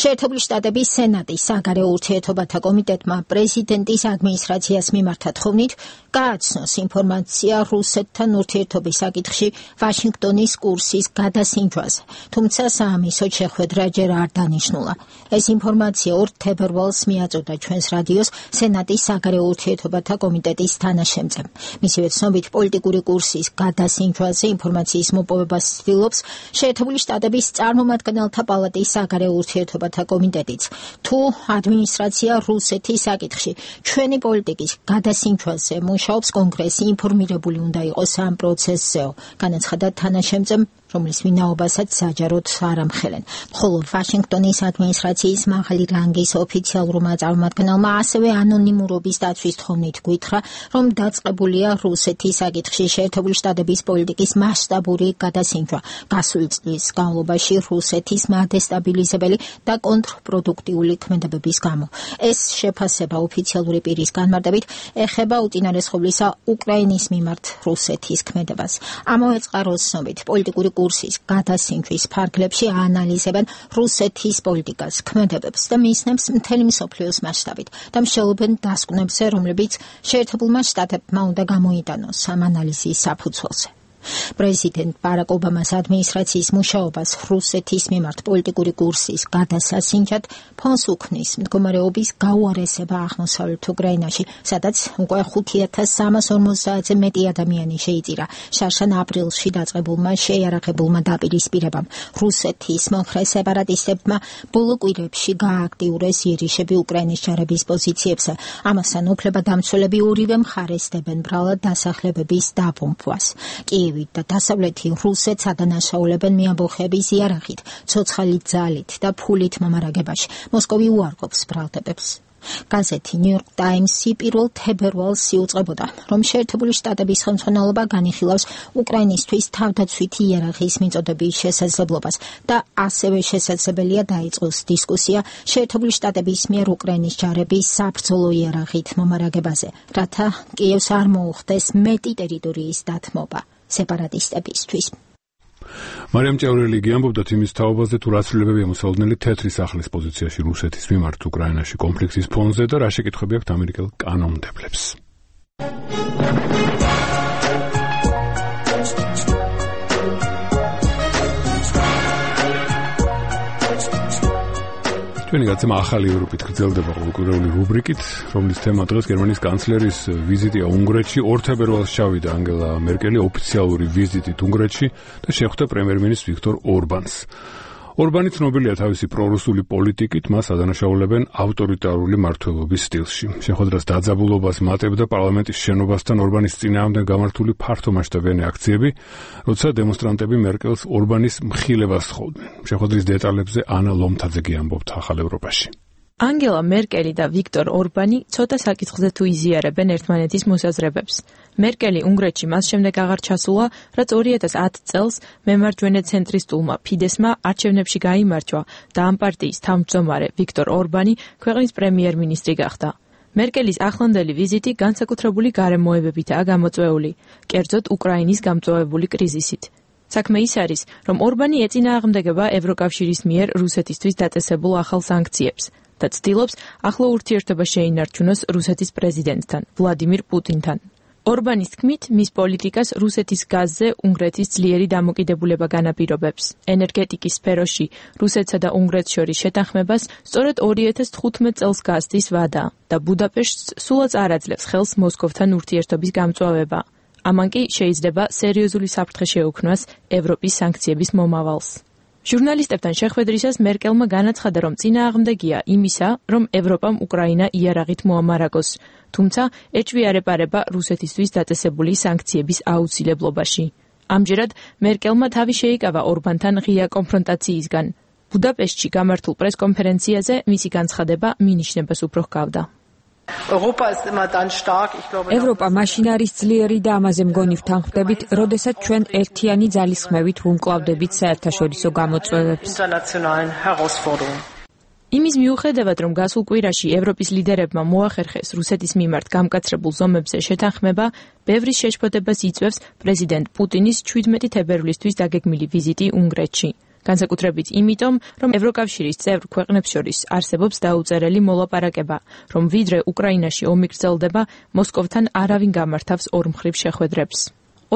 შეერთებული შტატების სენატის საგარეო ურთიერთობათა კომიტეტმა პრეზიდენტის ადმინისტრაციას მიმართა თხოვნით გააცნოს ინფორმაცია რუსეთთან ურთიერთობის საკითხში ვაშინგტონის კურსის გადასინჯვაზე, თუმცა საამისოდ შეხვედრა ჯერ არ დანიშნულა. ეს ინფორმაცია ორ თებერვალს მიაწოდა ჩვენს რადიოს სენატის საგარეო ურთიერთობათა კომიტეტის თანაშემწემ. მისივე ცნობით, პოლიტიკური კურსის გადასინჯვაზე ინფორმაციის მოპოვებას ცდილობს შეერთებული შტატების წარმომადგენელთა პალატის საგარეო ურთიერთობათა კომიტეტიც. თუ ადმინისტრაცია რუსეთის საკითხში ჩვენი პოლიტიკის გადასინჯვაზე მუშაობს, კონგრესი ინფორმირებული უნდა იყოს ამ პროცესზეო, განაცხადა თანაშემწემ, რომლის ვინაობასაც საჯაროდ არ ამხელენ. ხოლო ვაშინგტონის ადმინისტრაციის მაღალი რანგის ოფიციალურმა წარმომადგენელმა ასევე ანონიმურობის დაცვის თხოვნით გითხრა, რომ დაწყებულია რუსეთის საკითხში შეერთებული შტატების პოლიტიკის მასშტაბური გადასინჯვა. გასული წლის განმავლობაში რუსეთის მადესტაბილიზებელი და კონტრპროდუქტიული ქმედებების გამო. ეს შეფასება ოფიციალური პირის განმარტებით ეხება უწინარესხობლისა უკრაინის მიმართ რუსეთის ქმედებას. ამავე წყაროს ცნობით, პოლიტიკური კურსის გადასინჯვის ფარგლებში აანალიზებენ რუსეთის პოლიტიკას, ქმედებებს და მისნებს მთელი მსოფლიოს მასშტაბით და მსჯელობენ დასკვნებზე, რომლებიც შეერთებულმა შტატებმა უნდა გამოიტანოს ამ ანალიზის საფუძველზე. პრეზიდენტ ბარაკ ობამას ადმინისტრაციის მუშაობას რუსეთის მიმართ პოლიტიკური კურსის გადასასინჯად ფონს უქმნის მდგომარეობის გაუარესება აღმოსავლეთ უკრაინაში, სადაც უკვე ხუთი ათას სამას ორმოცდაათზე მეტი ადამიანი შეიწირა შარშან აპრილში დაწყებულმა შეიარაღებულმა დაპირისპირებამ. რუსეთის მომხრე სეპარატისტებმა ბოლო კვირებში გააქტიურეს იერიშები უკრაინის ჯარების პოზიციებზე. ამასთან უფლებადამცველები ორივე მხარეს დებენ ბრალად დასახლებების დაბომბვას. კიევი და დასავლეთი რუსეთს ადანაშაულებენ მეამბოხების იარაღით, ცოცხალი ძალით და ფულით მომარაგებაში. მოსკოვი უარყოფს ბრალდებებს. გაზეთი New York Times-ი პირველ თებერვალს იუწყებოდა, რომ შეერთებული შტატების ხელმძღვანელობა განიხილავს უკრაინისთვის თავდაცვითი იარაღის მიწოდების შესაძლებლობას და ასევე შესაძლებელია დაიწყოს დისკუსია შეერთებული შტატების მიერ უკრაინის ჯარების საბრძოლო იარაღით მომარაგებაზე, რათა კიევს არ მოუხდეს მეტი ტერიტორიის დათმობა სეპარატისტებისთვის. მარიამ ჭევრელი გიამბობდა იმის თაობაზე, თუ რა ცვლილებებია მოსალოდნელი თეთრი სახლის პოზიციაში რუსეთის მიმართ უკრაინაში კონფლიქტის ფონზე და რა შეკითხვები აქვთ ამერიკელ კანონმდებლებს. ჩვენი გაცემა ახალი ევროპით გრძელდება ყოველკვირეული რუბრიკით, რომლის თემა დღეს გერმანიის კანცლერის ვიზიტია უნგრეთში. ორ თებერვალს ჩავიდა ანგელა მერკელი ოფიციალური ვიზიტით უნგრეთში და შეხვდა პრემიერ-მინისტრ ვიქტორ ორბანს. ორბანი ცნობილია თავისი პრორუსული პოლიტიკით, მას ადანაშაულებენ ავტორიტარული მმართველობის სტილში. შეხვედრას დაძაბულობას მატებდა პარლამენტის შენობასთან ორბანის წინააღმდეგ გამართული ფართომასშტაბიანი აქციები, როცა დემონსტრანტები მერკელს ორბანის მხილებას სთხოვდნენ. შეხვედრის დეტალებზე ანა ლომთაძე გიამბობთ ახალ ევროპაში. ანგელა მერკელი და ვიქტორ ორბანი ცოტა საკითხზე თუ იზიარებენ ერთმანეთის მოსაზრებებს. მერკელი უნგრეთში მას შემდეგ აღარ ჩასულა, რაც ორი ათას ათი წელს მემარჯვენე ცენტრისტულმა ფიდესმა არჩევნებში გაიმარჯვა და ამ პარტიის თავმჯდომარე ვიქტორ ორბანი ქვეყნის პრემიერ-მინისტრი გახდა. მერკელის ახლანდელი ვიზიტი განსაკუთრებული გარემოებებითაა გამოწვეული, კერძოდ უკრაინის გამწვავებული კრიზისით. საქმე ის არის, რომ ორბანი ეწინააღმდეგება ევროკავშირის მიერ რუსეთისთვის დაწესებულ ახალ სანქციებს და ცდილობს ახლო ურთიერთობა შეინარჩუნოს რუსეთის პრეზიდენტთან, ვლადიმირ პუტინთან. ორბანის თქმით, მის პოლიტიკას რუსეთის გაზზე უნგრეთის ძლიერი დამოკიდებულება განაპირობებს. ენერგეტიკის სფეროში რუსეთსა და უნგრეთს შორის შეთანხმებას სწორედ ორი ათას თხუთმეტ წელს გასდის ვადა და ბუდაპეშტს სულაც არ აძლევს ხელს მოსკოვთან ურთიერთობის გამწვავება. ამან კი შეიძლება სერიოზული საფრთხე შეუქმნას ევროპის სანქციების მომავალს. ჟურნალისტებთან შეხვედრისას მერკელმა განაცხადა, რომ წინააღმდეგია იმისა, რომ ევროპამ უკრაინა იარაღით მოამარაგოს, თუმცა ეჭვი-არ-ეპარება რუსეთისთვის დაწესებული სანქციების აუცილებლობაში. ამჯერად მერკელმა თავი შეიკავა ორბანთან ღია კონფრონტაციისგან. ბუდაპეშტში გამართულ პრესკონფერენციაზე მისი განცხადება მინიშნებას უფრო ჰგავდა. ევროპა მაშინ არის ძლიერი და ამაზე მგონი ვთანხმდებით, როდესაც ჩვენ ერთიანი ძალისხმევით ვუმკლავდებით საერთაშორისო გამოწვევებს. იმის მიუხედავად, რომ გასულ კვირაში ევროპის ლიდერებმა მოახერხეს რუსეთის მიმართ გამკაცრებულ ზომებზე შეთანხმება, ბევრი შეშფოთებას იწვევს პრეზიდენტ პუტინის შვიდმეტი თებერვლისთვის დაგეგმილი ვიზიტი უნგრეთში. განსაკუთრებით იმიტომ, რომ ევროკავშირის წევრ ქვეყნებს შორის არსებობს დაუწერელი მოლაპარაკება, რომ ვიდრე უკრაინაში ომი გრძელდება, მოსკოვთან არავინ გამართავს ორმხრივ შეხვედრებს.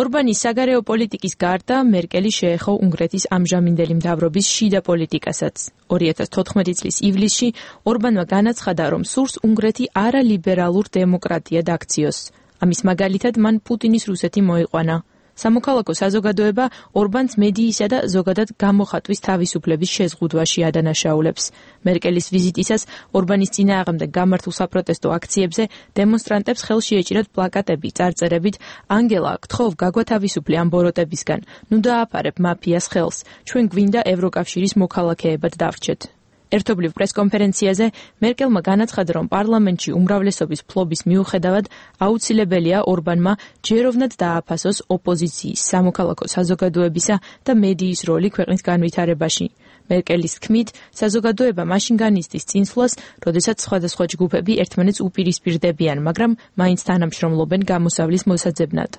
ორბანის საგარეო პოლიტიკის გარდა მერკელი შეეხო უნგრეთის ამჟამინდელი მთავრობის შიდა პოლიტიკასაც. ორი ათას თოთხმეტი წლის ივლისში ორბანმა განაცხადა, რომ სურს უნგრეთი არალიბერალურ დემოკრატიად აქციოს. ამის მაგალითად მან პუტინის რუსეთი მოიყვანა. სამოქალაქო საზოგადოება ორბანს მედიისა და ზოგადად გამოხატვის თავისუფლების შეზღუდვაში ადანაშაულებს. მერკელის ვიზიტისას ორბანის წინააღმდეგ გამართულ საპროტესტო აქციებზე დემონსტრანტებს ხელში ეჭირათ პლაკატები წარწერებით „ანგელა, გთხოვ გაგვათავისუფლე ამ ბოროტებისგან, ნუ დააფარებ მაფიას ხელს, ჩვენ გვინდა ევროკავშირის მოქალაქეებად დავრჩეთ“. ერთობლივ პრესკონფერენციაზე მერკელმა განაცხადა, რომ პარლამენტში უმრავლესობის ფლობის მიუხედავად აუცილებელია ორბანმა ჯეროვნად დააფასოს ოპოზიციის, სამოქალაქო საზოგადოებისა და მედიის როლი ქვეყნის განვითარებაში. მერკელის თქმით, საზოგადოება მაშინ განიცდის წინსვლას, როდესაც სხვადასხვა ჯგუფები ერთმანეთს უპირისპირდებიან, მაგრამ მაინც თანამშრომლობენ გამოსავლის მოსაძებნად.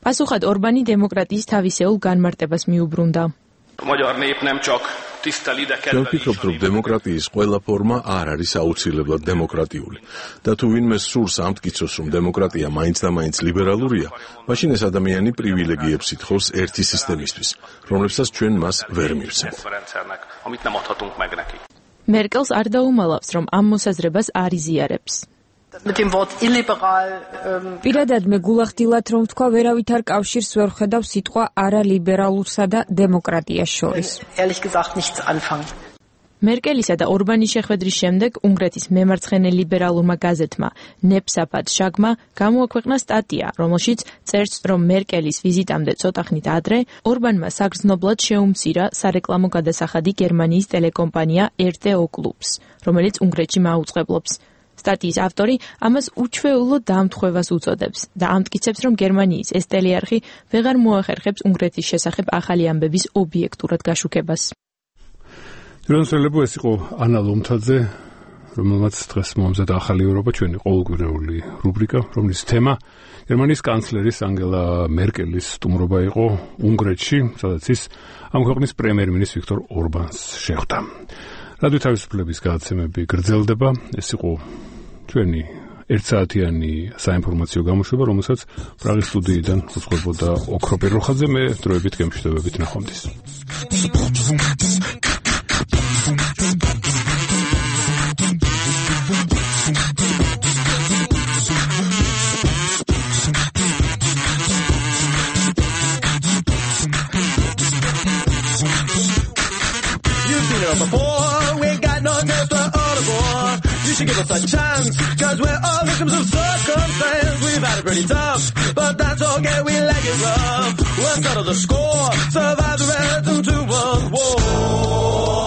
პასუხად ორბანი დემოკრატიის თავისეულ განმარტებას მიუბრუნდა. A magyar nép nem csak ჩვენ ვფიქრობთ, რომ დემოკრატიის ყველა ფორმა არ არის აუცილებლად დემოკრატიული. და თუ ვინმე სურს ამტკიცოს, რომ დემოკრატია მაინც და მაინც ლიბერალურია, მაშინ ეს ადამიანი პრივილეგიებს ითხოვს ერთი სისტემისთვის, რომლებსაც ჩვენ მას ვერ მივცემთ. მერკელს არ დაუმალავს, რომ ამ მოსაზრებას არ იზიარებს. პირადად მე გულახდილად რომ თქვა, ვერავით არ კავშირს ვერ ხედავ სიტყვა არალიბერალურსა და დემოკრატიას შორის. მერკელისა და ორბანის შეხვედრის შემდეგ უნგრეთის მემარცხენე ლიბერალურმა გაზეთმა ნეფსაფად შაგმა გამოაქვეყნა სტატია, რომელშიც წერს, რომ მერკელის ვიზიტამდე ცოტა ხნით ადრე ორბანმა საგრძნობლად შეუმცირა სარეკლამო გადასახადი გერმანიის ტელეკომპანია er te o კლუბს, რომელიც უნგრეთში მაუწყებლობს. სტატიის ავტორი ამას უჩვეულო დამთხვევას უწოდებს და ამტკიცებს, რომ გერმანიის ეს ტელეარხი ვეღარ მოახერხებს უნგრეთის შესახებ ახალი ამბების ობიექტურად გაშუქებას. რონსელებო ეს იყო ანა ლომთაძე, რომელმაც დღეს მომზადა ახალი ევროპა, ჩვენი ყოველკვირეული რუბრიკა, რომლის თემა გერმანიის კანცლერის ანგელა მერკელის სტუმრობა იყო უნგრეთში, სადაც ის ამ ქვეყნის პრემიერ-მინისტრ ვიქტორ ორბანს შეხვდა. რადიო თავისუფლების გადაცემები გრძელდება, ეს იყო ჩვენი ერთსაათიანი საინფორმაციო გამოშვება, რომელსაც პრაღის სტუდიიდან უძღვებოდა ოქრო პიროხაძე, მე დროებით გემშვიდობებით ნახვამდის. Before we got no test for all the war. You should give us a chance, cause we're all victims of circumstance. We've had it pretty tough, but that's okay, we like it rough. We'll settle the score, survive the rest of two world war.